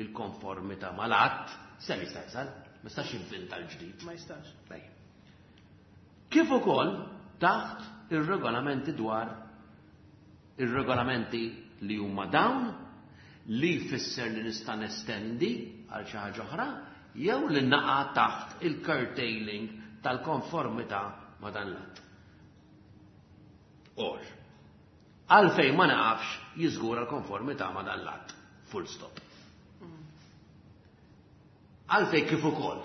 il-konformità mal-att, se jista' jasal, ma jistax jinvinta l-ġdid. Ma jistax. Bej. Kif ukoll taħt ir-regolamenti dwar ir-regolamenti li huma dawn li jfisser li nista' nestendi għal xi ħaġa oħra jew li naqa' taħt il-curtailing tal-konformità ma' dan l-att. Or, għalfejn ma naqafx jiżgura l-konformità ma' dan l-att. Full stop. Għalfejn kif ukoll.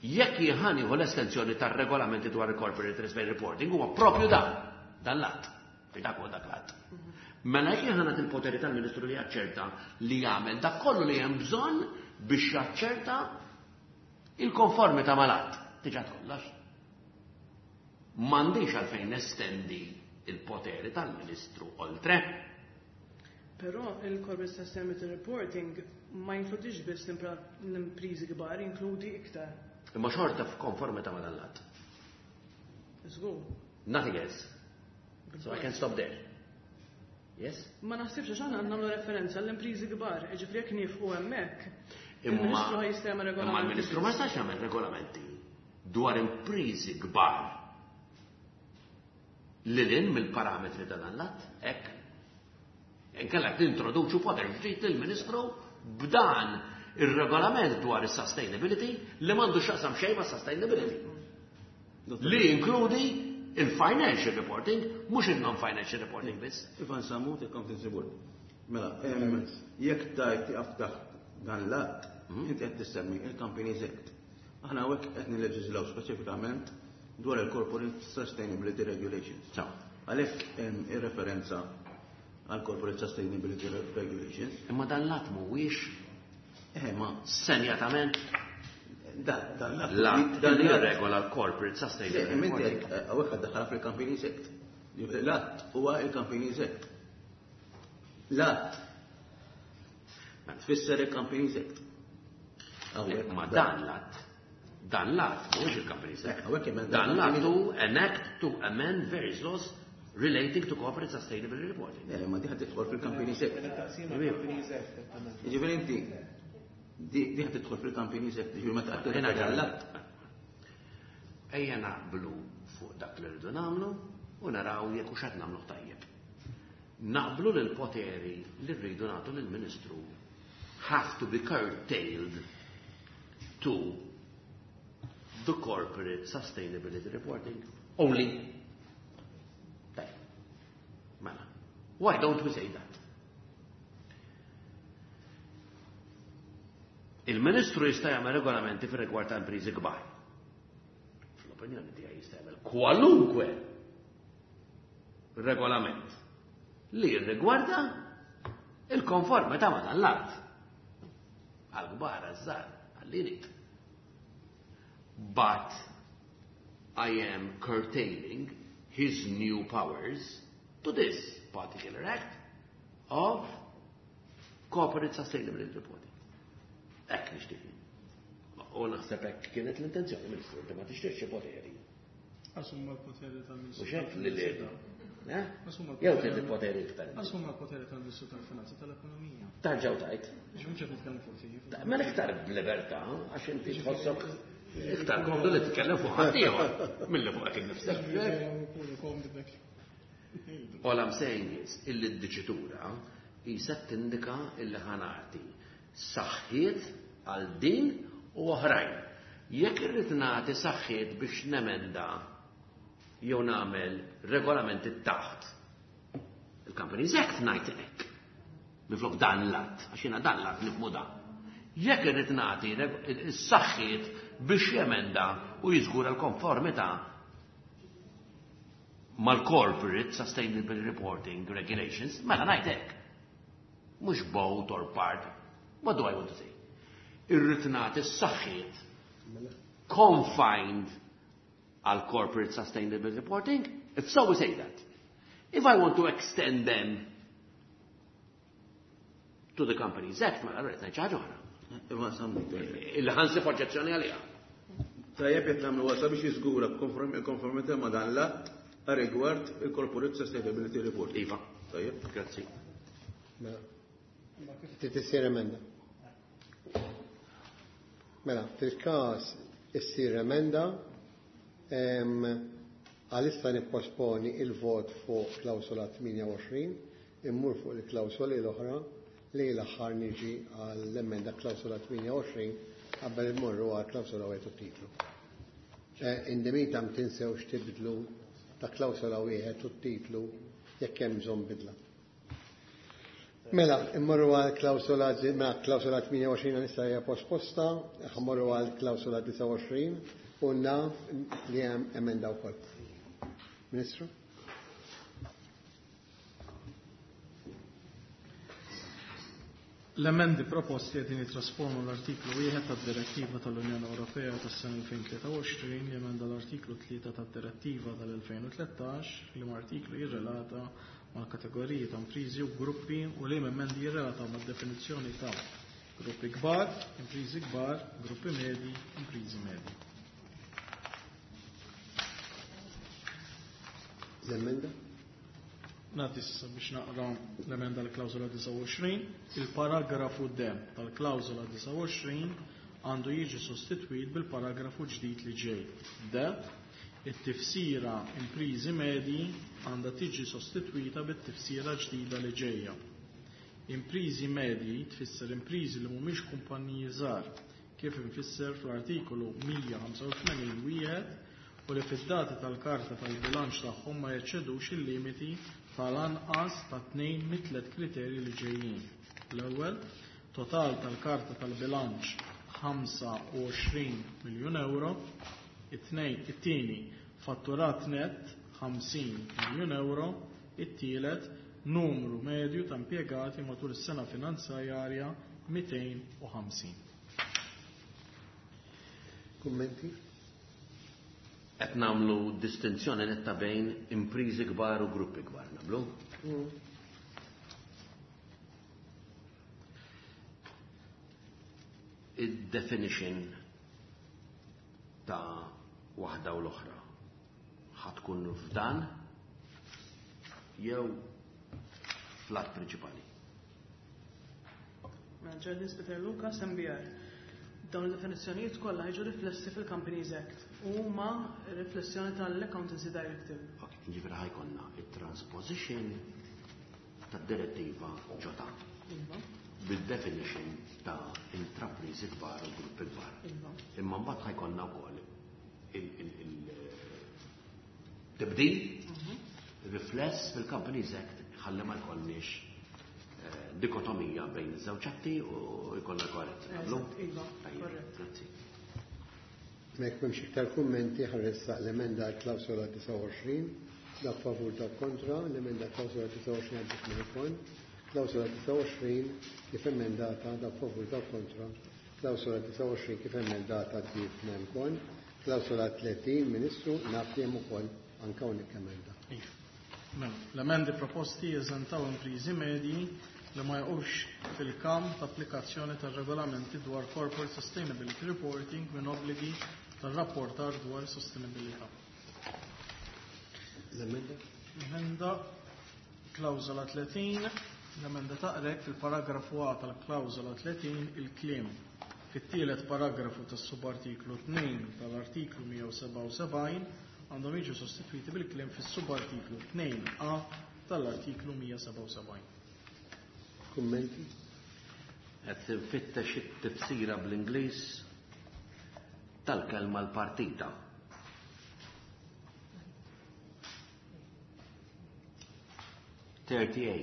Jekk jien nieħu l-estensjoni tar-regolamenti dwar il-corporate risk reporting huwa propju dan l-att. Dak huwa dak l-att. Mela jekk jien nagħti il-poteri tal-Ministru li jaċċerta li jagħmel dak kollu li hemm bżonn biex jaċċerta il-konformità mal-att. Diġà kollox. M'għandix għalfejn nestendi il-poteri tal-Ministru oltre. Però il-Corporate Sustainability Reporting ma jinkludix biss l-imprizi kbar, jinkludi iktar. Imma xorta f'konformità ma' dan l-att. Żgur. Nothing else. So I can stop there. Yes? Ma naħsibx għax aħna nagħmlu referenza l-imprizi kbar, jiġifieri jekk nieqfu hemmhekk, Imma il-Ministru ħa jista' jagħmel imma regolamenti. l-Ministru ma jistax jagħmel regolamenti dwar imprizi kbar lil hinn mill-parametri ta' dan l-att, hekk. Inkella qed nintroduċu poter ġdid lill-Ministru b'dan ir-regolament dwar is-sustainability li m'għandu x'jaqsam xejn ma' sustainability. Li jinkludi il-financial reporting, mhux il-non-financial reporting biss. Ivan Samut, il-Accountancy Board. Mela, jekk tajt tieqaf taħt dan l-att, inti qed tissemmi il-Companies Act. Aħna hawnhekk qed nilleġiżlaw speċifikament dwar il-Corporate Sustainability Regulations. Għalhekk hemm ir-referenza għal Corporate Sustainability Regulations. Imma dan l-att mhuwiex ma senjatament dan l-att dan jirregola l-Corporate Sustainability. Inti hawnhekk għaddaħħalha fil-Companies Act. L-att huwa il-Companies Act. L-att tfisser il-Companies Act. Ma dan l-att, dan l-att mhuwiex il-Companies Act. Dan l-att hu an act to amend various laws relating to corporate sustainability reporting. Le, ma diħa tidħol fil-Companies Act. Jiġifieri inti diħa tidħol fil-Companies Act, jiġifieri meta qed l-att. Ejja naqblu fuq dak li rridu nagħmlu u naraw jekk hux qed nagħmluh tajjeb. Naqblu li l-poteri li rridu nagħtu lill-Ministru have to be curtailed to the corporate sustainability reporting only. Mela, why don't we say that? Il-Ministru jista' jagħmel regolamenti fir-rigward ta' impriżi kbar. Fl-opinjoni tiegħi jista' jagħmel kwalunkwe regolament li jirrigwarda il-konformità ma' dan l-att. Għal-kbar, għaż-żgħar, għall-irid. But I am curtailing his new powers to this particular act of corporate sustainability reporting. Hekk nixtieq. U naħseb hekk kienet l-intenzjoni, Ministru, inti ma tixtieqx xi poteri. Assumma l-poteri tal-Ministru. Mhux hekk li le. Jew trid il-poteri iktar. Assumma l-poteri tal-Ministru tal-Finanzi tal-Ekonomija. Tarġaw tajt. Mhux qed nitkellmu fuq tiegħi. Mela iktar b'libertà għax inti tħossok iktar komdu li titkellem fuq ħaddieħor milli fuqek innifsek. All I'm saying is illi d-diċitura qisha tindika illi ħa nagħti saħħiet għal din u oħrajn. Jekk irrid nagħti saħħiet biex nemenda jew nagħmel regolamenti taħt il-Companies Act ngħid hekk. Minflok dan l-att, għax jiena dan l-att nifhmu dan. Jekk irrid nagħti s-saħħiet biex jemenda u jiżgura l-konformità mal-Corporate Sustainable Reporting Regulations, mela ngħid hekk. Mhux both or part. What do I want to say? Irrid nagħti s-saħħiet confined għal Corporate Sustainable Reporting? If so, we say that. If I want to extend them to the Companies Act, mela rrid ngħid xi ħaġa oħra. Imma sammu. Illi ħansib oġġezzjoni għaliha. Tajjeb jekk nagħmlu għasa biex jiżgura konformità ma' dan l-att rigward il-Corporate Sustainability Report. Iva. Tajjeb. Grazzi. Mela. Trid issir emenda. Mela, fil-każ issir emenda għalissa nipposponi il-vot fuq klawsola 28, immur fuq il-klawsoli l-oħra li l-aħħar niġi għall-emenda klawsola 28 qabel immorru għal klawsola wieħed u titlu. In the meantime tinsewx tibdlu ta' klawsola wieħed u titlu jekk hemm bżonn bidla. Mela, immorru għal klawsola mela, klawsola 28 nista' hija posposta, ħammorru għal klawsola 29 u naf li hemm emenda wkoll. Ministru? L-emendi proposti qegħdin jitrasformu l-artiklu 1 tad-Direttiva tal-Unjoni Ewropea tas-sena 2023 li emenda l-artiklu 3 tad-Direttiva tal-2013 li ma artiklu jirrelata mal-kategoriji ta' imprizi u gruppi u li emendi jirrelataw mad-definizzjoni ta' gruppi kbar, imprizi kbar, gruppi medji, imprizi medji. L-emenda? Nagħti issa biex naqra l-emenda l-klawżola 29. Il-paragrafu D tal-klawżola 29 għandu jiġi sostitwit bil-paragrafu ġdid li ġej. D. It-tifsira imprizi medji għandha tiġi sostitwita bit-tifsira ġdida li ġejja. Imprizi medji tfisser imprizi li mhumiex kumpaniji żgħar kif infisser fl-artikolu 185 wieħed u li fid-dati tal-karta tal-bilanċ tagħhom ma jeċċedux il-limiti tal-anqas ta' 2 mit-tliet kriterji li ġejjin. L-ewwel, total tal-karta tal-bilanċ 25 miljun euro, it-tieni fatturat net 50 miljun euro, it-tielet numru medju ta' impjegati matul is-sena finanzjarja 250. Kummenti? Qed nagħmlu distinzjoni netta bejn imprizi kbar u gruppi kbar, nagħmlu? Id-definition ta' waħda u l-oħra ħa tkun f'dan jew fl-att prinċipali. Mela, Geraldine Peter Lucas, MBR. Dawn id-definizzjonijiet kollha jiġu riflessi fil-Companies Act u huma riflessjoni tal-Accountancy Directive. Ok, ġifieri ħa jkollna it-transposition tad-direttiva ġota. Iva. Bil-definition ta' intrapriżi kbar u gruppi kbar. Iva. Imma mbagħad ħa jkollna wkoll il-tibdil rifless fil-Companies Act ħalli ma jkollniex dikotomija bejn iż-żewġ atti u jkollna koerenza. Naqblu? Eżatt, iva, Tajjeb, korrett. grazzi. Mek m'hemmx iktar kummenti ħa nressaq l-emenda għal klawsola 29, dak favur dak kontra, l-emenda klawsola 29 għaddit mill-kon, klawsola 29 kif emendata dak favur dak kontra, klawsola 29 kif emendata għaddit mill-kon, klawsola 30 Ministru naf li hemm ukoll anke hawnhekk emenda. Iva. Mela, l-emendi proposti jeżentaw imprizi medji li ma jaqgħux fil-kamp ta' applikazzjoni tar-regolamenti dwar Corporate Sustainability Reporting minn obbligi tar-rapportar dwar sostenibilità. L-emenda? L-emenda klawżola 30, l-emenda taqrek fil-paragrafu A tal-klawżola 30 il-kliem. Fit-tielet paragrafu tas-subartiklu 2 tal-artiklu 177 għandhom jiġu sostituiti bil-kliem fis-subartiklu 2A tal-artiklu 177. Kummenti? Qed tinfittex it-tifsira bl-Ingliż tal-kelma l-partita. 30A.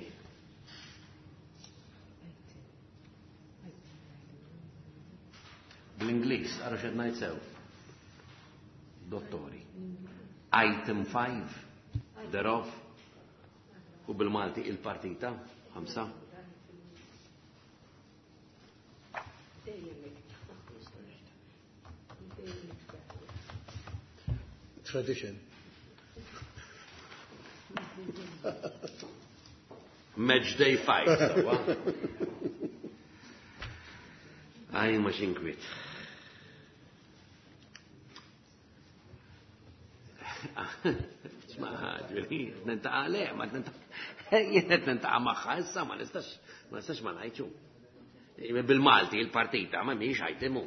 Bl-Ingliż, ara x'qed ngħid sew. Dottori. Item 5, thereof, u bil-Malti il-partita, 5. Tradition. Match day 5, sawa. Għaj, ma xinkwit. Ma ġveri, nintaqa le, ma nintaqa, jien qed nintaqa magħha issa ma nistax, ma nistax ma ngħidxu. Bil-Malti il-partita ma mhix ħajtimu.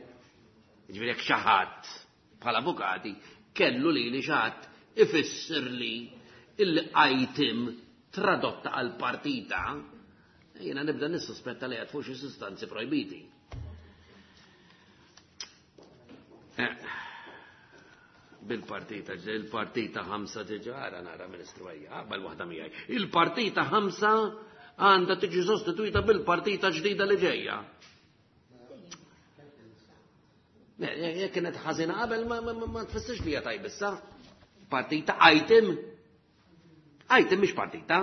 Ġifieri jekk xi ħadd bħala avukati kellu li li xi ħadd ifisser li il-item tradotta għal partita, jiena nibda nissuspetta li qed fuq xi sustanzi projbiti. Bil-partita, il-partita 5 diġà, ara nara Ministru ejja, qabel waħda miegħi. Il-partita 5 għandha tiġi sostituita bil-partita ġdida li ġejja. Jekk kienet ħażina qabel ma tfissirx li hija tajba issa. Partita item. Item mhix partita.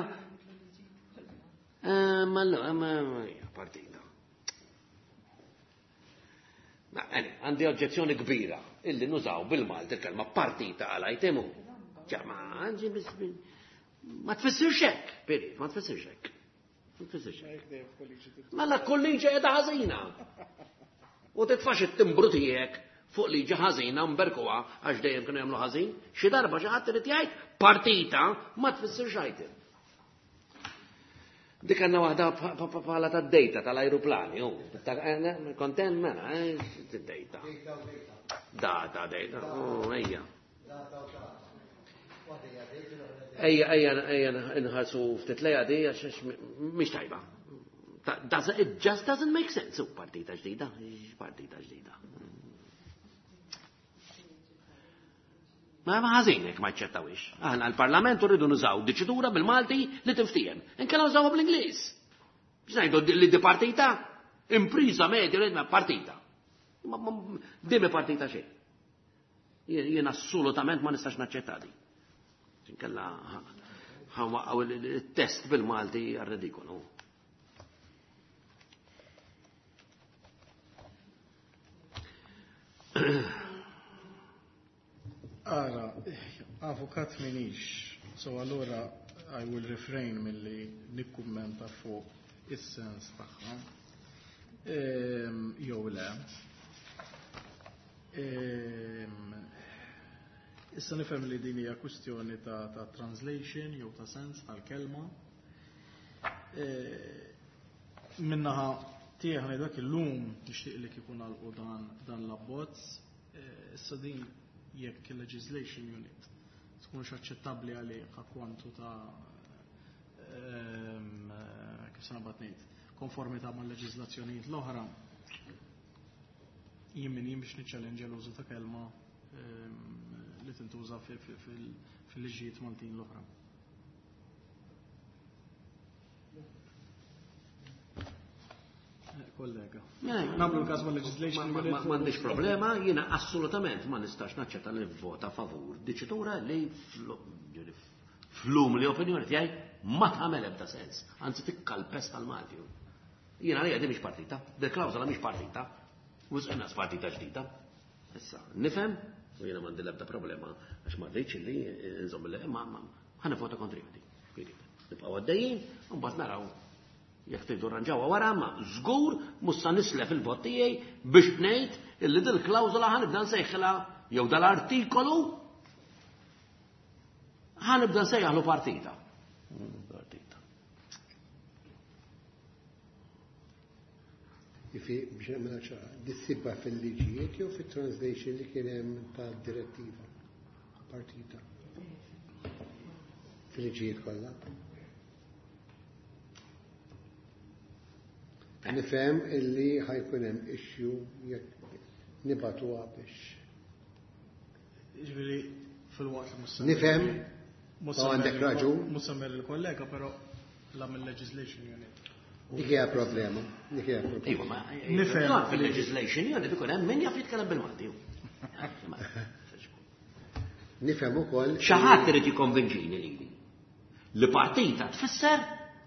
Ma allora, ma hija partita. Ma, għandi oġġezzjoni kbira illi nużaw bil-Malti il-kelma partita għal itemu. Ċa, ma għandi bis-, ma tfissirx hekk, Pirit, ma tfissirx hekk. Ma tfissirx hekk. Mela kull liġi qiegħda ħażina. U titfax it-timbru tiegħek fuq liġi ħażina mberkuha għax dejjem kienu jagħmlu ħażin, xi darba xi ħadd irid jgħid partita ma tfissirx item. Dik għandna waħda bħala tad-dejta tal-ajruplani, hu. Kontent mela, d-dejta. Data, dejta, oh, ejja. Ejja, ejja, ejja, nħarsu ftit lejha di għax mhix tajba. It just doesn't make sense. U partita ġdida, partita ġdida. Ma ma ħażin jekk ma ċċettawix. Aħna l-Parlament rridu nużaw diċitura bil-Malti li tinftiehem. Inkella nużawha bl-Ingliż. Biex ngħidu li di partita, impriża medja li ma partita. Dimi partita xejn. Jien assolutament ma nistax naċċetta di. Inkella ħanwaqqgħu il-test bil-Malti għar-ridikolu. Ara, avukat minix, so allura I will refrain milli nikkummenta fuq is-sens tagħha. Jew le. Issa nifhem li din hija kwistjoni ta' translation jew ta' sens tal-kelma. Minnaħa tiegħi ngħidlek illum nixtieq li kieku nagħlqu dan l-abbozz. Issa din jekk il-legislation unit tkunx aċċettabbli għalih kwantu ta' kif se nabad ngħid, konformità mal-leġiżlazzjonijiet l-oħra, jien min jien biex niċċellenġja l-użu ta' kelma li tintuża fil-liġijiet Maltin l-oħra. Kollega. Nagħmlu l-każ ma' legislation. M'għandix problema, jiena assolutament ma nistax naċċetta li vota favur diċitura li flum li opinjoni tiegħi ma tagħmel ebda sens, anzi tikkalpes tal-Malti. Jiena għalija di mhix partita, dil klawżola mhix partita, wisq inqas partita ġdida. Issa, nifhem, u jiena m'għandi l-ebda problema għax ma rridx li nżomm li ma ħa nivvota kontri di. Nibqgħu għaddejjin, u mbagħad naraw jekk tridu rranġawha wara, ma żgur mhux sa nislef il-vot tiegħi biex ngħid illi dil klawżola ħa nibda nsejħilha jew dal-artikolu ħa nibda nsejjaħlu partita. Partita. Ifi biex nagħmilha ċara, dissibha fil-liġijiet jew fit-translation li kien hemm tad-direttiva partita. Fil-liġijiet kollha. Nifhem illi ħajkun hemm issue jekk nibatuha biex. Ġifieri fil-waqt li mhux Nifhem, u għandek raġun. Mhux semmer il-kollega, però la mill-legislation unit. Dik hija problema, dik hija problema. Iva, ma Nifhem. Fil-legislation unit ikun hemm min jaf jitkellem bil-Malti. Nifhem ukoll. Xi ħadd irid jikkonvinċini lili li partita tfisser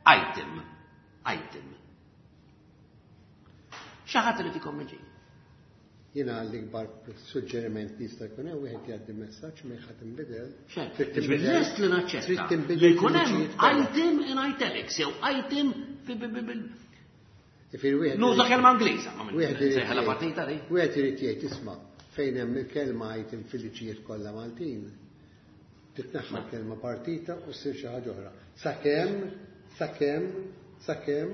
item. Item. Xi ħadd irid jikkonvinċini. Jiena l-ikbar suġġeriment li jista' jkun hemm wieħed jgħaddi messaġġ ma jħadd inbidel. Xejn. Trid tinbidel. Lest li naċċetta Trid tinbidel li jkun hemm fil-liġijiet kollha. item in italics jew item bil Ifir wieħed Nuża irid- kelma Ingliża, ma minn wieħed irid sejħela jgħid- partita di. Wieħed irid jgħid isma' fejn hemm il-kelma item fil-liġijiet kollha Maltin. Titneħħa l-kelma partita u ssir xi ħaġa oħra. Sakemm, sakemm, sakemm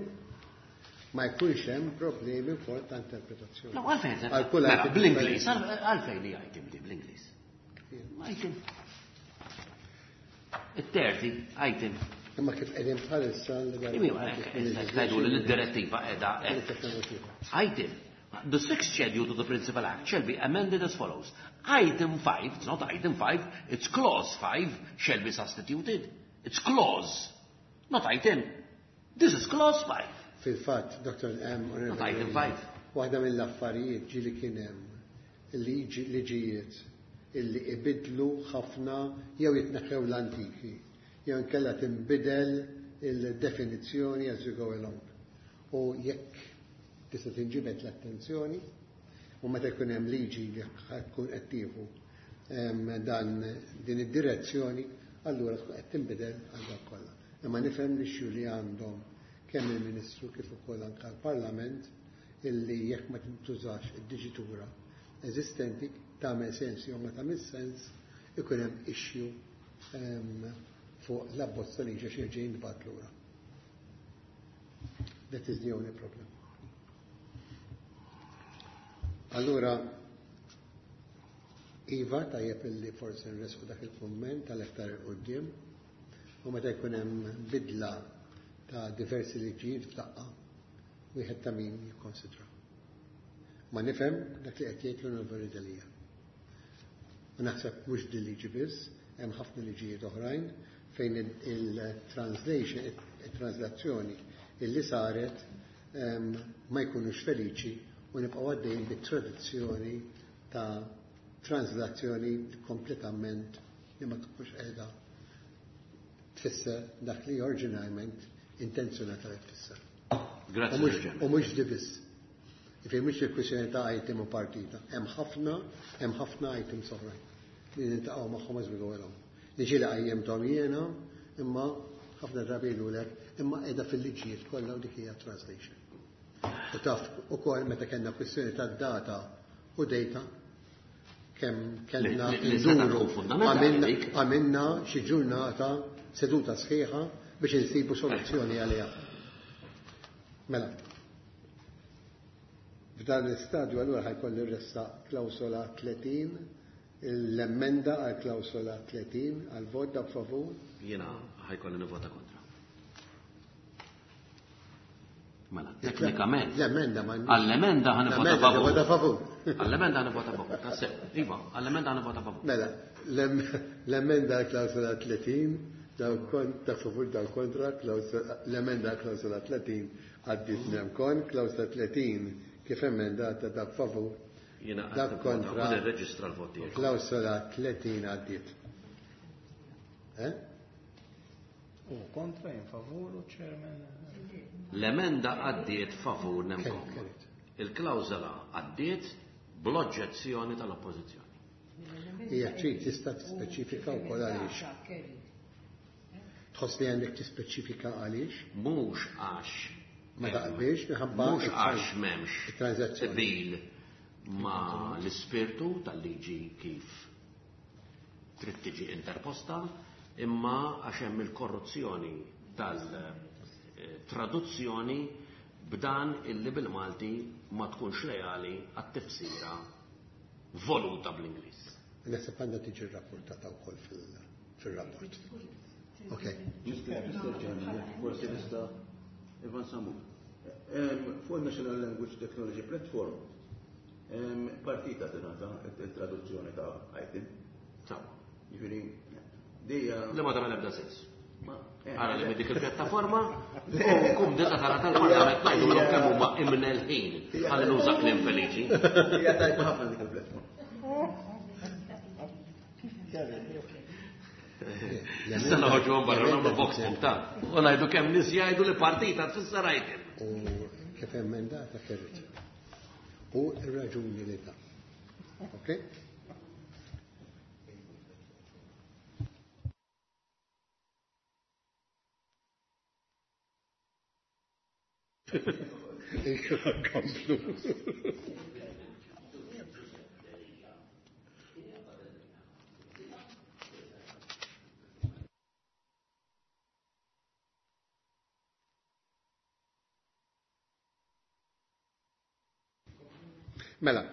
ma jkunx hemm problemi wkoll ta' interpretazzjoni. No, għalfejn, Għal kull mela, item bl-Ingliż, differenti. għalfejn li item di bl-Ingliż. Item. It-terzi, item. Imma kif qegħdin bħalissa l Iwa, tgħidu li l-direttiva qiegħda hekk. Item. The sixth schedule to the Principal Act shall be amended as follows. Item 5, it's not item 5, it's clause 5 shall be substituted. It's clause, not item. This is clause 5. Fil-fatt, Dr. M. Not item 5. Waħda mill-affarijiet ġieli kien hemm liġijiet illi ibidlu ħafna jew jitneħħew l-antiki, jew inkella tinbidel il-definizzjoni as you go along. U jekk tista' tinġibed l-attenzjoni, u meta jkun hemm liġi li tkun qed tieħu dan din id-direzzjoni, allura tkun qed tinbidel għal dak kollha. Imma nifhem li xju li għandhom kemm il-Ministru kif ukoll anke l-Parlament illi jekk ma tintużax id-diġitura eżistenti tagħmel sens jew ma tagħmel sens ikun hemm issue fuq l-abbozz ta' liġi xi jerġa' jintbagħat lura. That is the only problem. Allura, Iva, tajjeb illi forsi nresqu dak il-kumment tal-aktar il-qudiem, u meta jkun hemm bidla ta' diversi liġijiet f'daqqa, wieħed ta' min jikkonsidra. Ma nifhem dak li qed jgħid l-Onorevoli Delia. U naħseb mhux din liġi biss, hemm ħafna liġijiet oħrajn fejn il-translation, il-translazzjoni illi saret ma jkunux feliċi u nibqgħu għaddejjin bit-tradizzjoni ta' translazzjoni kompletament li ma tkunx qiegħda tfisser dak li oriġinarjament intenzjonata li tfisser. Grazzi. U mhux di biss. Jiġifieri mhux il-kwistjoni ta' item u partita. Hemm ħafna, hemm ħafna items oħrajn li niltaqgħu magħhom as we go along. Li ġieli qajjimthom jiena, imma ħafna drabi jgħidulek imma qiegħda fil-liġijiet kollha u dik hija translation. U taf ukoll meta kellna kwistjoni ta' data u data kemm kellna nduru għamilna xi ġurnata seduta sħiħa biex insibu soluzzjoni għaliha. Mela, f'dan l-istadju allura ħajkolli rressaq klawsola 30, l-emenda għal klawsola 30 għal vot dak favur. Jiena ħajkolli nivvota kontra. Mela, teknikament. L-emenda ma Għall-emenda ħa nivvota favur. Vota favur. Għall-emenda ħa nivvota favur. Tassew. Iva, għall-emenda ħa nivvota favur. Mela, l-emenda għal klawsola 30, dak favur dal kontra, l-emenda għal klawsola 30 għaddit nemkon, klawsola 30 kif emendata dak favur, Jiena dak kontra, nirreġistra l-vot tiegħek. klawsola 30 għaddit. Eh? U kontra, in favur u chairman. L-emenda għaddiet favur nemkom. Kerit. Il-klawżola għaddiet bl-oġġezzjoni tal-oppożizzjoni. Hija trid tista' tispeċifika wkoll għaliex. Tħoss li għandek tispeċifika għaliex? Mhux għax Ma taqbilx minħabba mhux għax m'hemmx it-transazzjoni. qbil ma l-ispirtu tal-liġi kif trid tiġi interposta, imma għax hemm il-korruzzjoni tal-traduzzjoni b'dan illi bil-Malti ma tkunx leali għat-tifsira voluta bl-Ingliż. Naħseb għandha tiġi rrapportata wkoll fil-rapport. Ok. Mr. Chairman, forsi nista' Ivan Samu. Fuq il-National Language Technology Platform, partita tingħata il-traduzzjoni ta' item. Sawa. Jiġifieri, dija. Li ma tagħmel ebda sens. Ma- Ara li dik il-pjattaforma u kum dita tara tal-parlament ngħidulhom kemm huma imnelħin ħalli nuża kliem feliċi. Hija tajba ħafna dik il-platform. Issa noħorġu barra nagħmlu box book ta' u ngħidu kemm nies jgħidu li partita tfisser item. U kif emendata kerit. U r-raġuni li ta'. Ok? Komplu. Mela,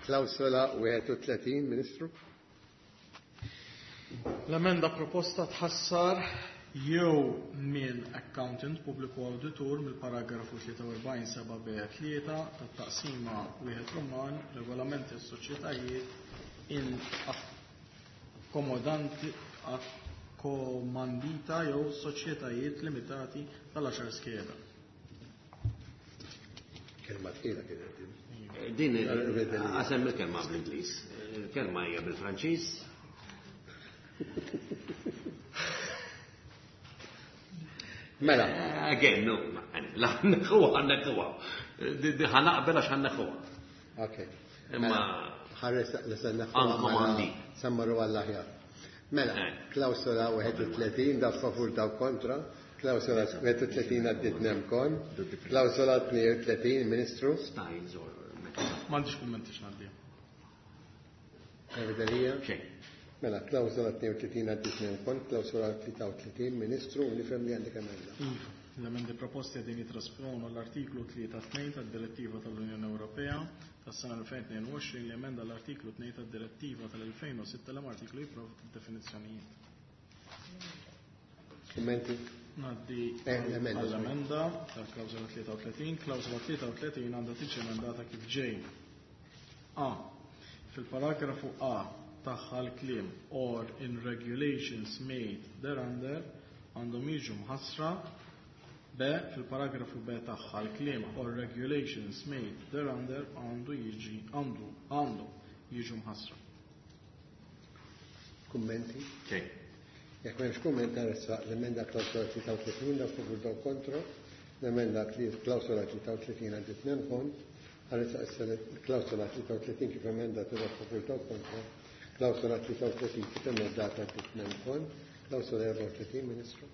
klawsola 31, Ministru. L-emenda proposta tħassar jew minn accountant pubbliku awditur mill-paragrafu 43 7b3 tat-taqsima wieħed Roman regolamenti s-soċjetajiet in akkomodanti akkomandita jew soċjetajiet limitati tal-10 skeda. Kelma tqila kienet din. Din għasem il-kelma bl-Ingliż. Il-kelma hija bil-Franċiż. Mela, Again, no, la ħanneħuha, ħanneħuha. Ħanaqbel għax ħanneħuha. ok. Imma Ħares li se Għandkom għandi. Sammaru għall-aħjar. Mela, klawsola 31 da favur da kontra, klawsola 31 għaddit nemkon, klawsola 32, Ministru, Styles or M'għandix kummenti x'ngħaddi. Evidelija. Xejn. Mela, klawsola 32 għaddit nemkon, klawsola 33, Ministru, u nifhem li għandek emenda. Iva, l-emendi proposti qegħdin jitrasponu l-artiklu 3.2 tad-Direttiva tal-Unjoni Ewropea tas-sena 2022 li emenda l-artiklu 2 tad-Direttiva tal-2006 l artiklu jipprovdi definizzjonijiet. Kummenti? Ngħaddi L-emenda, għall-emenda tal-klawżola 33. Klawżola 33 għandha tiġi emendata kif ġej. A. Fil-paragrafu A tagħha l-kliem or in regulations made thereunder għandhom jiġu mħassra B. Fil-paragrafu B tagħha l-kliem or regulations made thereunder għandu jiġi għandu għandhom jiġu mħassra. Kummenti? Xejn. Jekk m'hemmx kumment nressaq l-emenda klawsola 33 dawk favur dawk kontra. L-emenda klawsola 33 għaddiet minn kont. Nressaq issa l-klawsola 33 kif emendata dawk favur dawk kontra. Klawsola 33 kif emendata għaddiet minn kont. Klawsola 34, Ministru.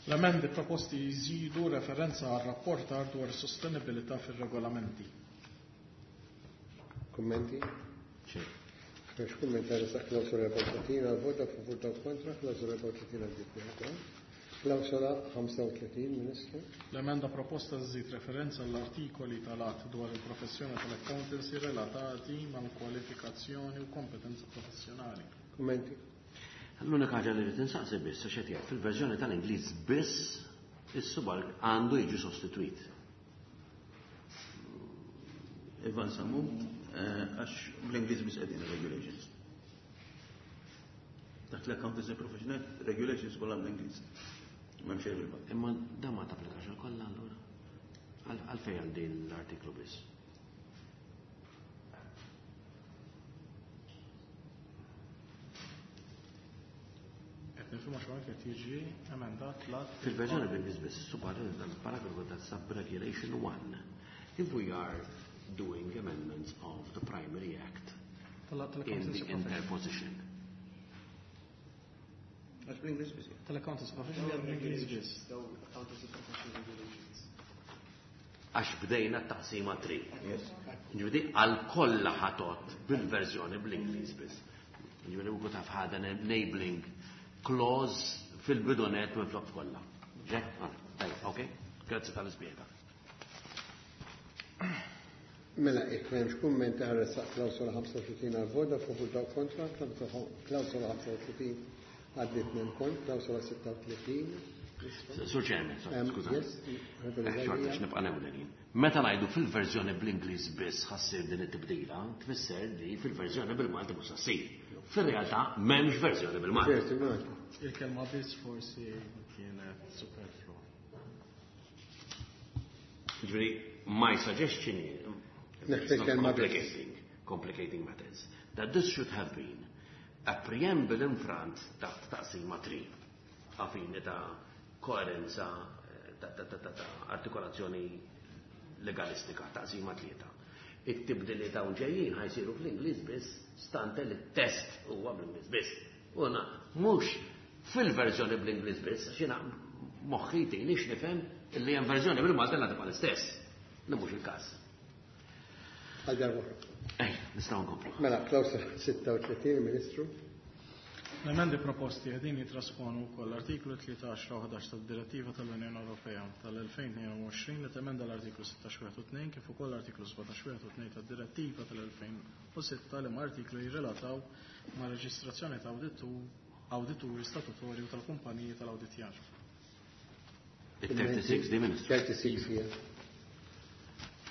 L-emendi proposti jżidu referenza għal rapportar dwar sostenibilità fir-regolamenti. Kummenti? Xejn. M'hemmx kumment nressaq klawsola 34 għal vot dawk favur dawk kontra. Klawsola 34 għaddiet minn kont. Klawsola 35, Ministru. L-emenda proposta żżid referenza għall-artikoli tal-att dwar il-professjoni tal-accountancy relatati mal-kwalifikazzjoni u kompetenza professjonali. Kummenti? L-unika ħaġa li rrid insaqsi biss għax qed jgħid fil-verżjoni tal-Ingliż biss is-subal għandu jiġi sostitwit. Ivan Sammut, għax bl-Ingliż biss qegħdin regulations. Taħt l-accountancy professional regulations kollha bl-Ingliż. M'hemm xejn bil-Malti. Imma dan ma tapplikax għal kollha allura. Għalfejn għal din l-artiklu biss. Qed nifhmu għax hawnhekk qed jiġi emendat l-att. Fil-verżjoni bl-Ingliż biss, subparagrafu ta' sub-regulation 1. If we are doing amendments of the primary act in the interposition. Għax bl-Ingliż biss. Tal-accountancy professional bl-Ingliż biss. Accountancy professional regulations. Għax bdejna t-taqsima 3. Yes. Ġifieri għal kollha ħatot bil-verżjoni bl-Ingliż biss. Ġifieri we could have had an enabling clause fil-bidunet minn flok kollha. Ġe? Tajjeb, ok. Grazzi tal-ispjega. Mela, jekk m'hemmx kumment nressaq klawsola 35 għal vot dawk favur dawk kontra, klawsola 35 għaddiet minn kont, klawsola 36. Sur Chairman, skuża. Yes, Xorta x'nibqa' newlenin. Meta ngħidu fil-verżjoni bl-Ingliż biss ħassir din it-tibdila, tfisser li fil-verżjoni bil-Malti mhux ssir. Fir-realtà m'hemmx verżjoni bil-Malti. Verżjoni bil-Malti. Il-kelma biss forsi kienet superflua. Ġifieri, my suggestion is, Neħtieġ kelma biss. complicating matters, that this should have been a preamble in front taħt taqsima 3, għafini ta' koerenza, ta' artikolazzjoni legalistika, taqsima 3. It-tibdili ta' ġejjin ħajsiru fl-Ingliż biss, stante li t-test huwa bl-Ingliż biss. Una, mhux fil-verżjoni bl-Ingliż biss, għax jiena moħħi jtini x'nifhem illi hemm verżjoni bil-Malti li tibqa' l-istess, li mhux il-każ. Għal darba. Ej, nistgħu nkomplu. Mela, klawsola 36, Ministru. L-emendi proposti qegħdin jitrasponu wkoll l-artiklu 13 u 11 tad-Direttiva tal-Unjoni Ewropea tal-2022 li temenda l-artiklu 16 wieħed u tnejn kif ukoll l-artiklu 17 wieħed u tnejn tad-Direttiva tal-2006 li ma' artiklu jirrelataw ma' reġistrazzjoni ta' awdituri statutorju tal-kumpaniji tal-awditjar. Il-36 di, Ministru. 36, yeah.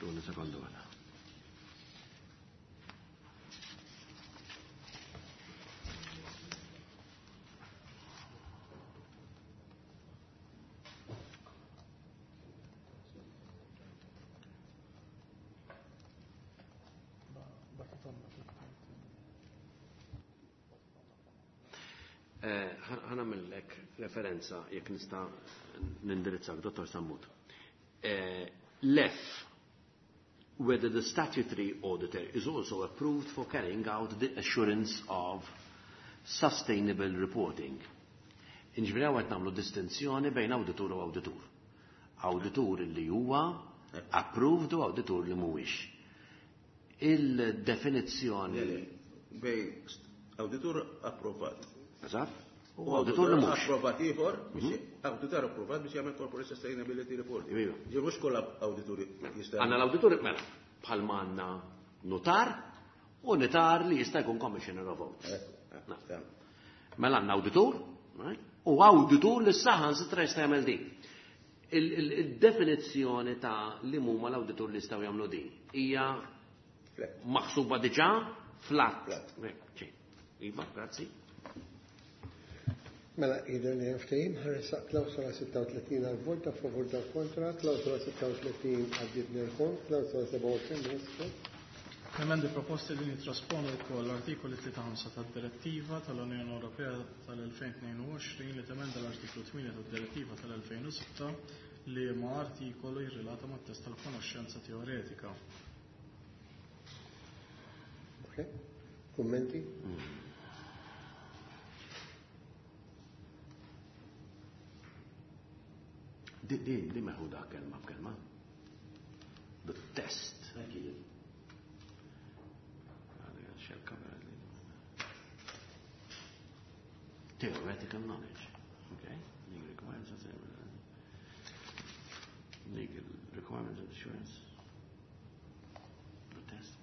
Tuni sekondu għala. Ħanamillek referenza jekk nista' nindirizzak, Dottor Sammut. L-F, whether the statutory auditor is also approved for carrying out the assurance of sustainable reporting. Inġifieri hawn qed nagħmlu distinzjoni bejn awditur u awditur. Awditur li huwa approved u awditur li mhuwiex. Il-definizzjoni Bej awditur approvat. Eżatt? U awditur li mhux. Approvat ieħor biex awditur approvat biex jagħmel corporate sustainability report. Iva. Ġi mhux kollha awdituri jista' Għandna l-awditur mela bħalma għandna notar u notar li jista' jkun commissioner of oaths. Mela għandna awditur, right? U awditur li saħan sitra jista' jagħmel din. Il-definizzjoni ta' li huma l-awditur li jistgħu jagħmlu din hija maħsuba diġà flat. Flat. Iva, grazzi. Mela, jidher li hemm ftehim, ħa nressaq klawsola 36 għall-vot, dawk favur dawk kontra, klawsola 36 għaddiet nil-kont, klawsola 27 Ministru. L-emendi proposti din jittrasponu wkoll l-Artikoli 35 tad-Direttiva tal-Unjoni Ewropea tal-2022 li temenda l-Artiklu 8 tad-Direttiva tal-2006 liema artikolu jirrelata mat-test tal-konoxxenza teoretika. Okay. Kummenti? Di di di meħuda kelma b'kelma. The test. Theoretical knowledge. Okay. Legal requirements. Legal requirements of assurance. The test.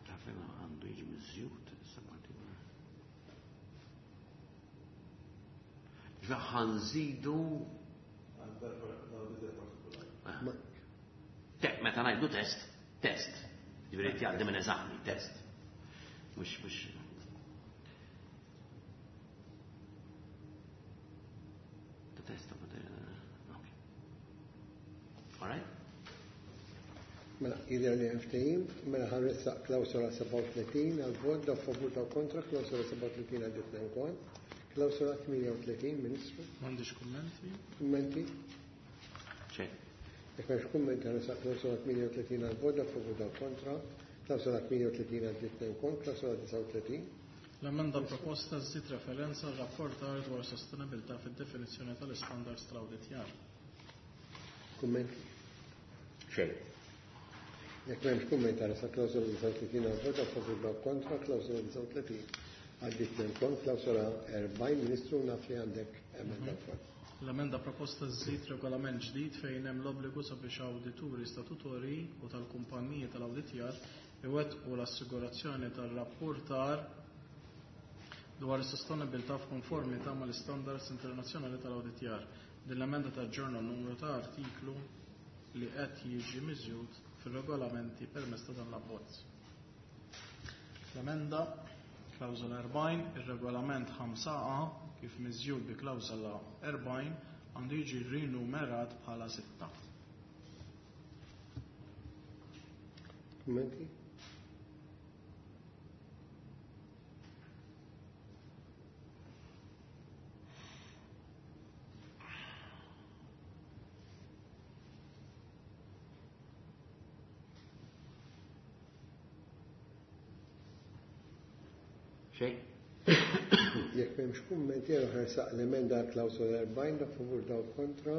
Taf li għandu jiġi miżjud issa partikolari. Ġa ħanżidu Te, meta ngħidu test, test. Ġifieri jgħaddi minn eżami, test. Mhux mhux The test of the okay. All right? Mela, jidher li hemm ftehim, mela ħa nressaq klawsola 37 għall-vot, dawk favur dawk kontra, klawsola 37 għaddiet kont. Klawsola 38, Ministru. M'għandix kummenti. Kummenti? Xejn. Jekk m'hemmx kummenti ħa nressaq klawsola 38 għall-vot, dawk favur dawk kontra, klawsola 38 għaddiet kont, klawsola 39. L-emenda proposta żżid referenza għal rapportar dwar sostenibilità fid-definizzjoni tal-istandards tal-awditjar. Kummenti? Xejn. Jekk m'hemmx kummenti ħa nressaq klawsola 39 għall-vot, dawk favur dawk kontra, klawsola 39 għaddiet kont, klawsola 40, Ministru, naf li għandek emenda wkoll. L-emenda proposta żżid regolament ġdid fejn hemm l-obbligu sabiex awdituri statutorji u tal-kumpaniji tal-awditjar iwettqu l-assigurazzjoni tar-rapportar dwar is-sostenibilità f'konformità mal-istandards internazzjonali tal-awditjar. Din l-emenda taġġorna n-numru ta' artiklu li qed jiġi miżjud fir-regolamenti permezz ta' dan l-abbozz. L-emenda klawżola 40, ir-regolament 5A kif miżjud bi klawżola 40 għandu jiġi rinumerat bħala 6. Kummenti? Xejn. Jekk m'hemmx kummenti, jien ħa nressaq l-emenda għal klawsola 40, dawk favur dawk kontra.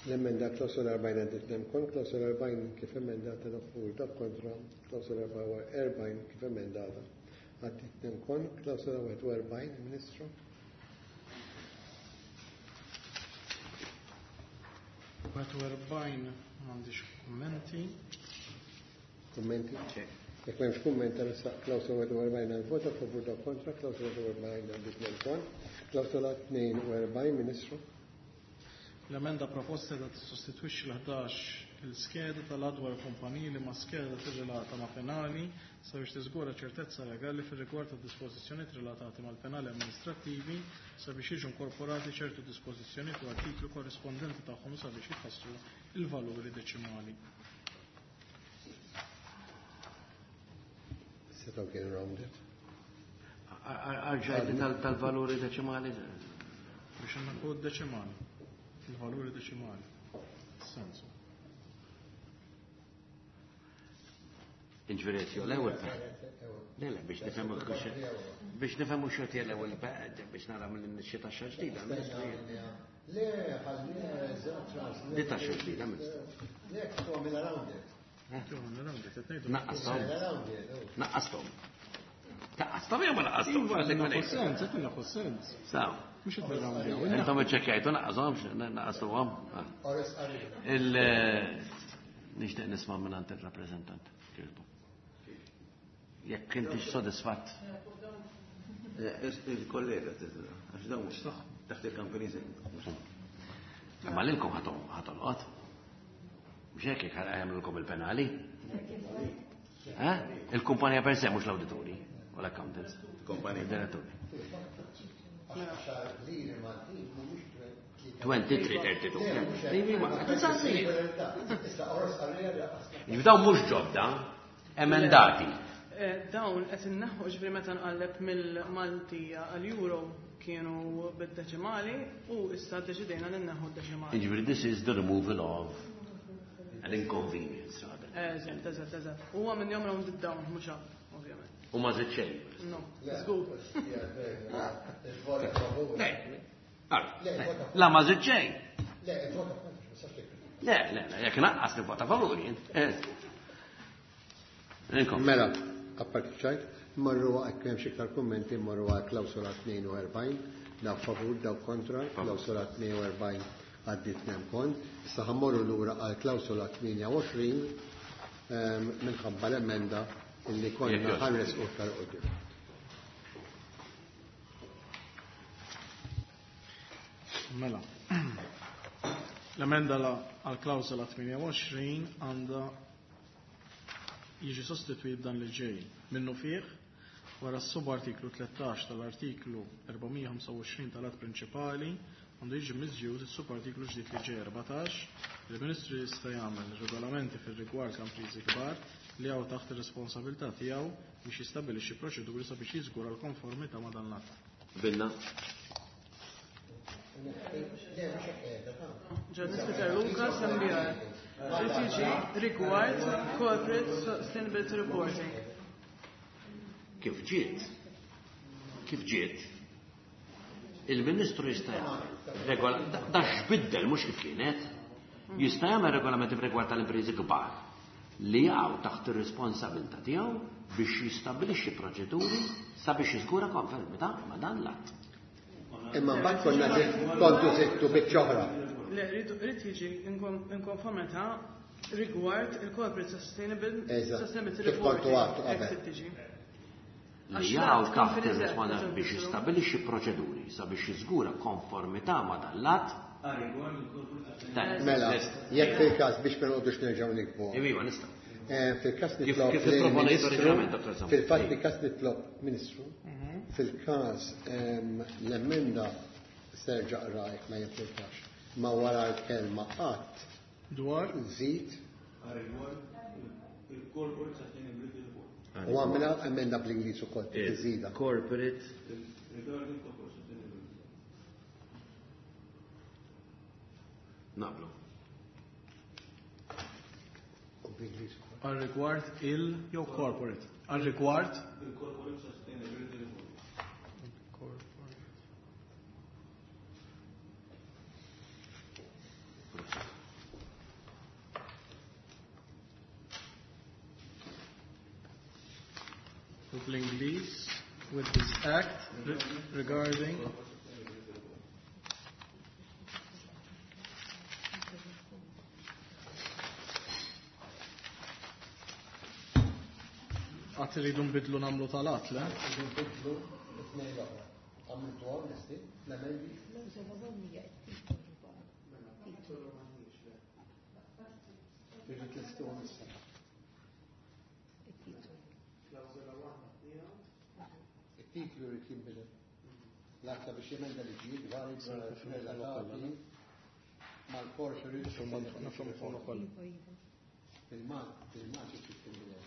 L-emenda klawsola 40 għaddiet kont, klawsola 40 kif emendata dawk favur dawk kontra, klawsola 40 kif emendata għaddiet kont, klawsola 41, Ministru. 41 m'għandix kummenti. Kummenti? Jekk m'hemmx kumment nressaq klawsola 41 għall-vot, dawk favur dawk kontra, klawsola 41 għaddiet kont, klawsola 42, Ministru. L-emenda proposta da tissostitwixxi l-11 il-skeda tal-adwar kumpaniji li ma skeda tirrelata ma' penali sabiex tiżgura ċertezza legali fir-rigward ta' dispożizzjonijiet relatati mal-penali amministrattivi sabiex jiġu inkorporati ċertu dispożizzjonijiet u artiklu korrispondenti tagħhom sabiex jitħassru il-valuri deċimali. Setgħu kienu rounded. Arġajti tal-valuri deċimali? Biex għandna kod deċimali. Il-valuri deċimali. Sensu. Inġveri l-ewwel. Le, le, biex nifhemu biex nifhemu xorti l-ewwel biex nara mill xi taxxa ġdida. Le, ħallina eżatt Di taxxa ġdida, Ministru. Le, kif għamilha rounded. Naqqasthom. Naqqasthom. Taqqasthom jew ma naqqasthom? Iva, naħu sens, qed naħu sens. Saw. Mhux qed nirrawndjaw. Intom iċċekkjajtu naqqashomx, naqqastuhom. Il nixtieq nisma' minn għand ir-rappreżentant. Kirbu. Jekk intix sodisfatt. Il-kollega għax dawn taħt il-Companies Act. Imma lilkom ħatolqot. Mhux hekk jekk jagħmlulkom il-penali. Eh? Il-kumpanija per se mhux l-awdituri u l-accountants. Kumpanija. Il-diretturi. 23-32. Dawn mhux ġodda, emendati. Dawn qed inneħħu ġifieri meta nqalleb mill-Maltija għall-Euro kienu bid-deċimali u issa ddeċidejna li nneħħu d-deċimali. Jiġifieri this is the removal of an inconvenience rather. Eżatt, eżatt, eżatt. Huwa minn jom rounded down mhux up, ovvjament. U ma żied xejn. No, żgur. La ma żied xejn. Le, le, le, jekk naqqas nivvota favur jien. Mela, apparti ċajt, marru għak hemm xi iktar kummenti, marru għal klawsola 42, daw favur, daw kontra, klawsola 42 għaddit nem kont. Issa ħammorru lura għal klawsola 28 minħabba l-emenda illi konna ħares u iktar qudiem. Mela. L-emenda għal klawsola 28 għandha jiġi sostitwit b'dan li ġej. Minnu fih, wara s-subartiklu 13 tal-artiklu 425 tal-att prinċipali għandu jiġi miżjud is-subartiklu ġdid li ġej 14, il-Ministru jista' jagħmel regolamenti fir-rigward ta' impriżi kbar li hawn taħt ir-responsabilità tiegħu biex jistabbilixxi proċeduri sabiex jiżgura l-konformità ma' dan l-att. Binna. Ġurnalist Peter Lucas, MBR. Trid jiġi rigward Corporate Sustainability Reporting. Kif ġiet? Kif ġiet? Il-Ministru jista' jagħmel regola, da x'biddel mhux kif kienet. Jista' jagħmel regolamenti f'rigward tal-impriżi kbar li jaqgħu taħt ir-responsabilità tiegħu biex jistabbilixxi proċeduri sabiex jiżgura konformità ma' dan l-att. Imma mbagħad konna kontu żidtu biċċa oħra. Le, rrid jiġi in konformità rigward il-Corporate Sustainability Kif kontu Reporting. għadtu qabel. Hekk se tiġi. Li Għax jaqgħu l-att taħt konferenza ir-responsabilità qed biex infissru. jistabbilixxi proċeduri sabiex jiżgura konformità ma' dan l-att. Mela, jekk fil-każ biex ma noqogħdux nerġgħu nikbu. Iva, nista'. Fil-każ Kif nitlob kif ipproponejt lill-Ministru, oriġinalment, Dottor Samuel? fil-fatt fil-każ nitlob Ministru, fil-każ l-emenda serġa' qrajk ma jimpurtax. Ma wara l-kelma qatt Dwar? żid U għamilha emenda bl-Ingliż ukoll, tiżida. Corporate. Naqblu. U bl-Ingliż ukoll. Għal rigward il jew corporate. Għal rigward il-Corporate Sustainability Report. U bl-Ingliż with this act regarding Għat rridu nbidlu namlu tal-att, le? Rridu nbidlu it-tnejn l-oħra. Għamiltu għom, nesti, l-emendi? Rridu tlestu għom issa. Il-titlu rrid jinbidel. L-aktar biex jemenda li ġid, vari relatati mal-corporate Nafhom ukoll. Fil-mal trid tinbidel.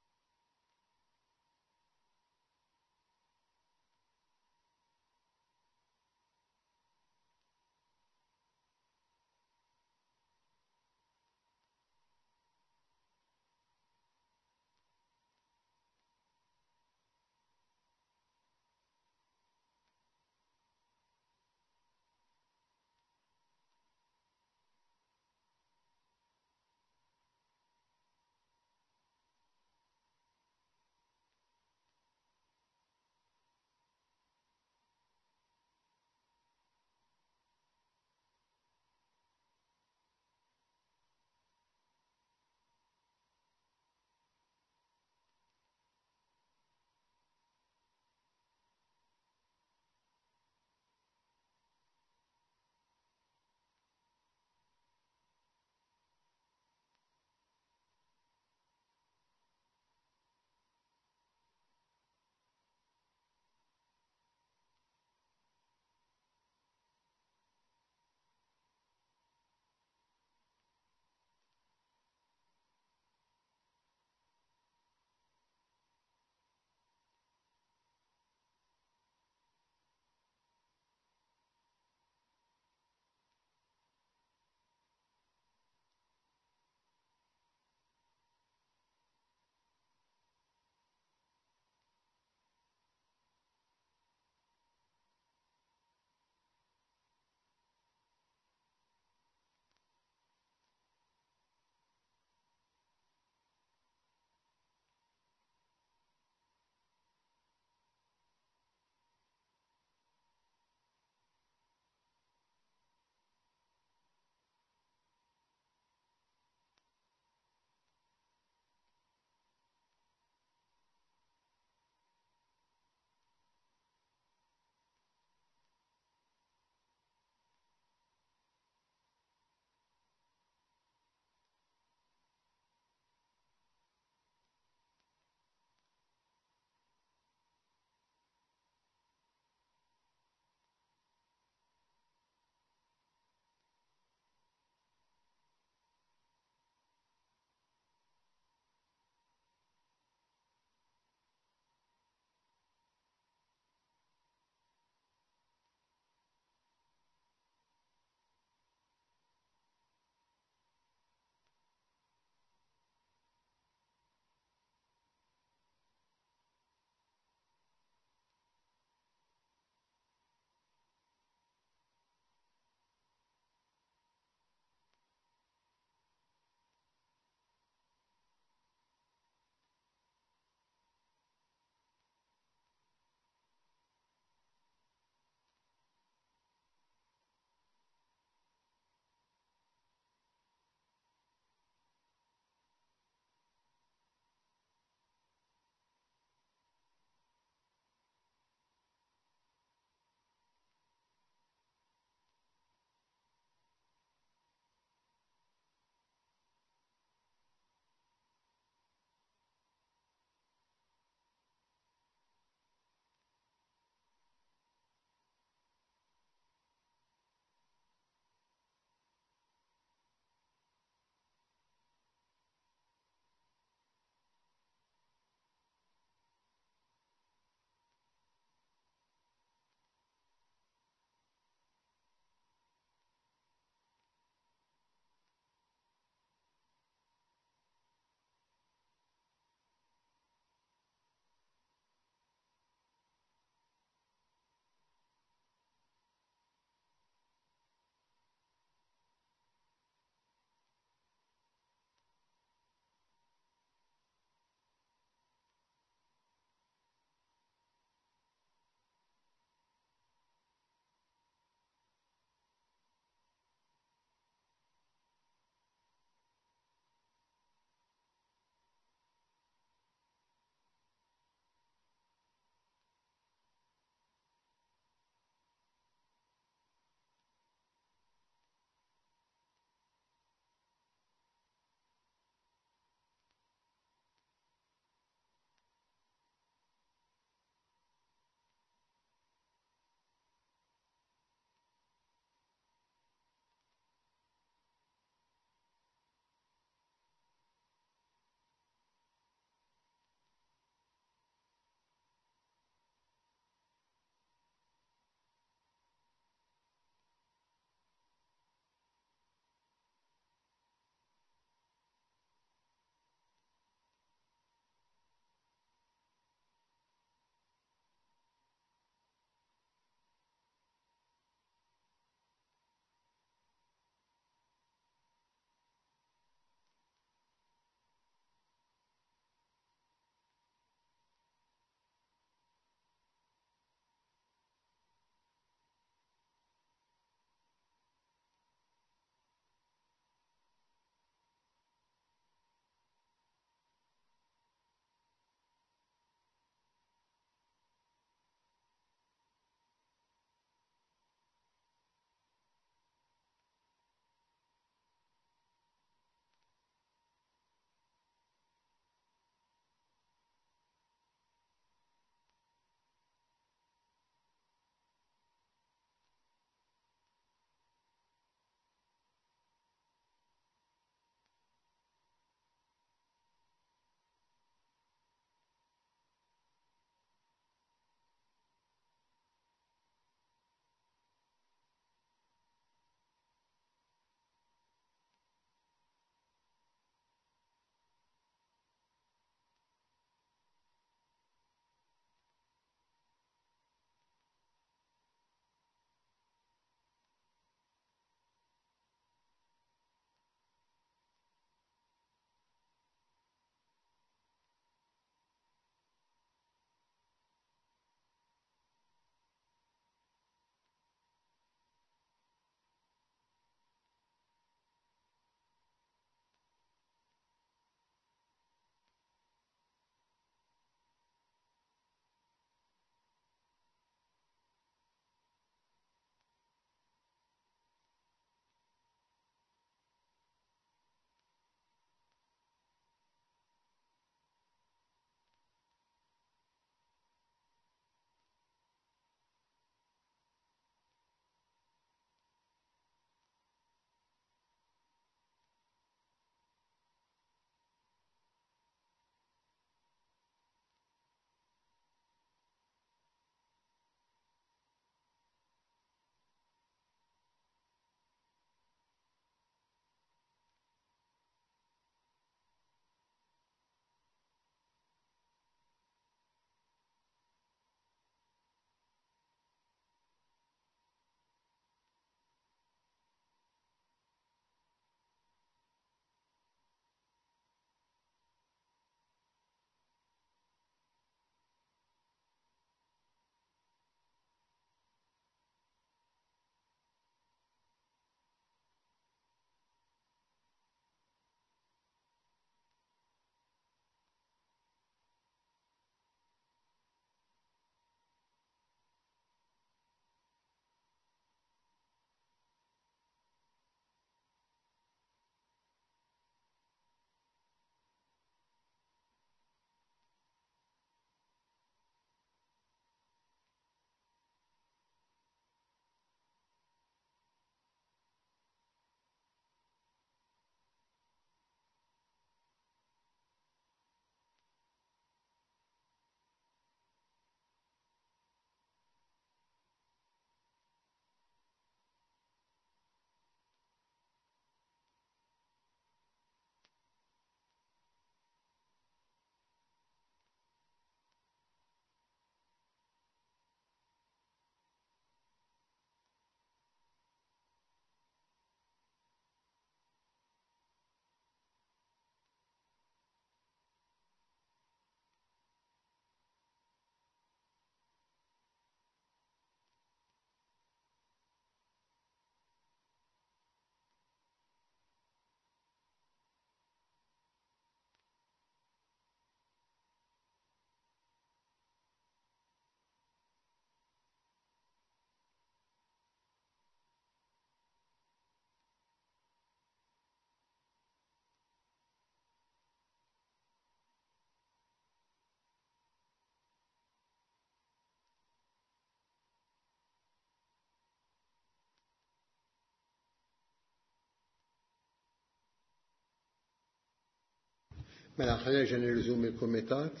Mela, ħa nerġa' nirriżumi l-kumitat.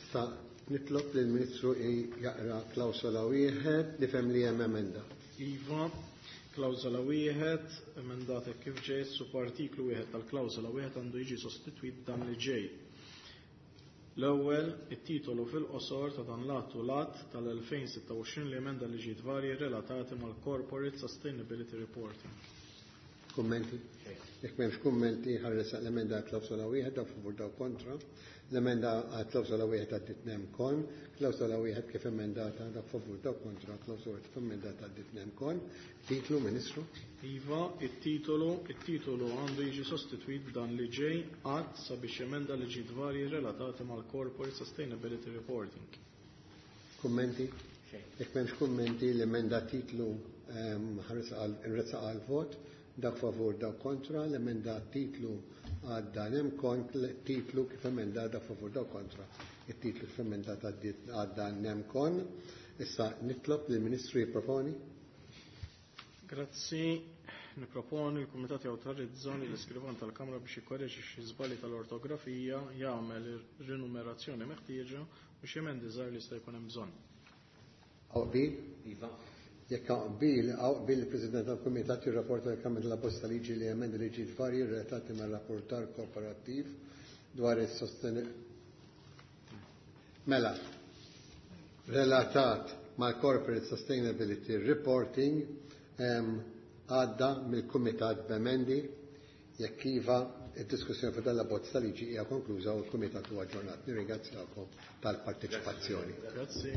Issa nitlob lill-Ministru jaqra klawsola wieħed, nifhem li hemm emenda. Iva, klawsola wieħed, emendata kif ġej, subartiklu wieħed tal-klawsola wieħed għandu jiġi sostitwit b'dan li ġej. L-ewwel, it-titolu fil-qosor ta' dan l-att hu l-Att tal-2026 li emenda liġijiet varji relatati mal-Corporate Sustainability Reporting. Kummenti? Jekk m'hemmx kummenti, ħa nressaq l-emenda għal klawsola wieħed, dawk favur, dawk kontra. L-emenda għal klawsola wieħed għaddiet nem kon. Klawsola wieħed kif emendata, dawk favur, dawk kontra. Klawsola wieħed kif emendata għaddiet nem kon. Titlu, Ministru? Iva, it-titolu għandu jiġi sostitwit b'dan li ġej: Att sabiex jemenda liġijiet varji relatati mal-Corporate Sustainability Reporting. Kummenti? Jekk m'hemmx kummenti, l-emenda titlu ħa nressaq għal vot. Dak favur, dak kontra, l-emenda titlu għadda nem kon, titlu kif emenda, dak favur, dak kontra. Il-titlu kif emendat għadda nem kon. Issa nitlob lill-Ministru jipproponi. Grazzi. Niproponi l-Kumitat jawtorizza li l-iskrivan tal-Kamra biex jikkoreġi xi żbalji tal-ortografija, jagħmel ir-rinumerazzjoni meħtieġa u xi emendi żgħar li jista' jkun hemm bżonn. Hawn qbil? Iva. Jekk hawn qbil, hawn qbil il-President tal-Kumitat jirrapporta lill-Kamra tal-abbozz ta' liġi li jemendi liġijiet varji relatati mar-rapportar korporattiv dwar is-sosten Mela, relatat mal-Corporate Sustainability Reporting għadda mill-Kumitat b'emendi. Jekk iva, id-diskussjoni fuq dan l-abbozz ta' liġi hija konkluża u l-Kumitat huwa aġġornat. Nirringrazzjakom tal-parteċipazzjoni. Grazzi.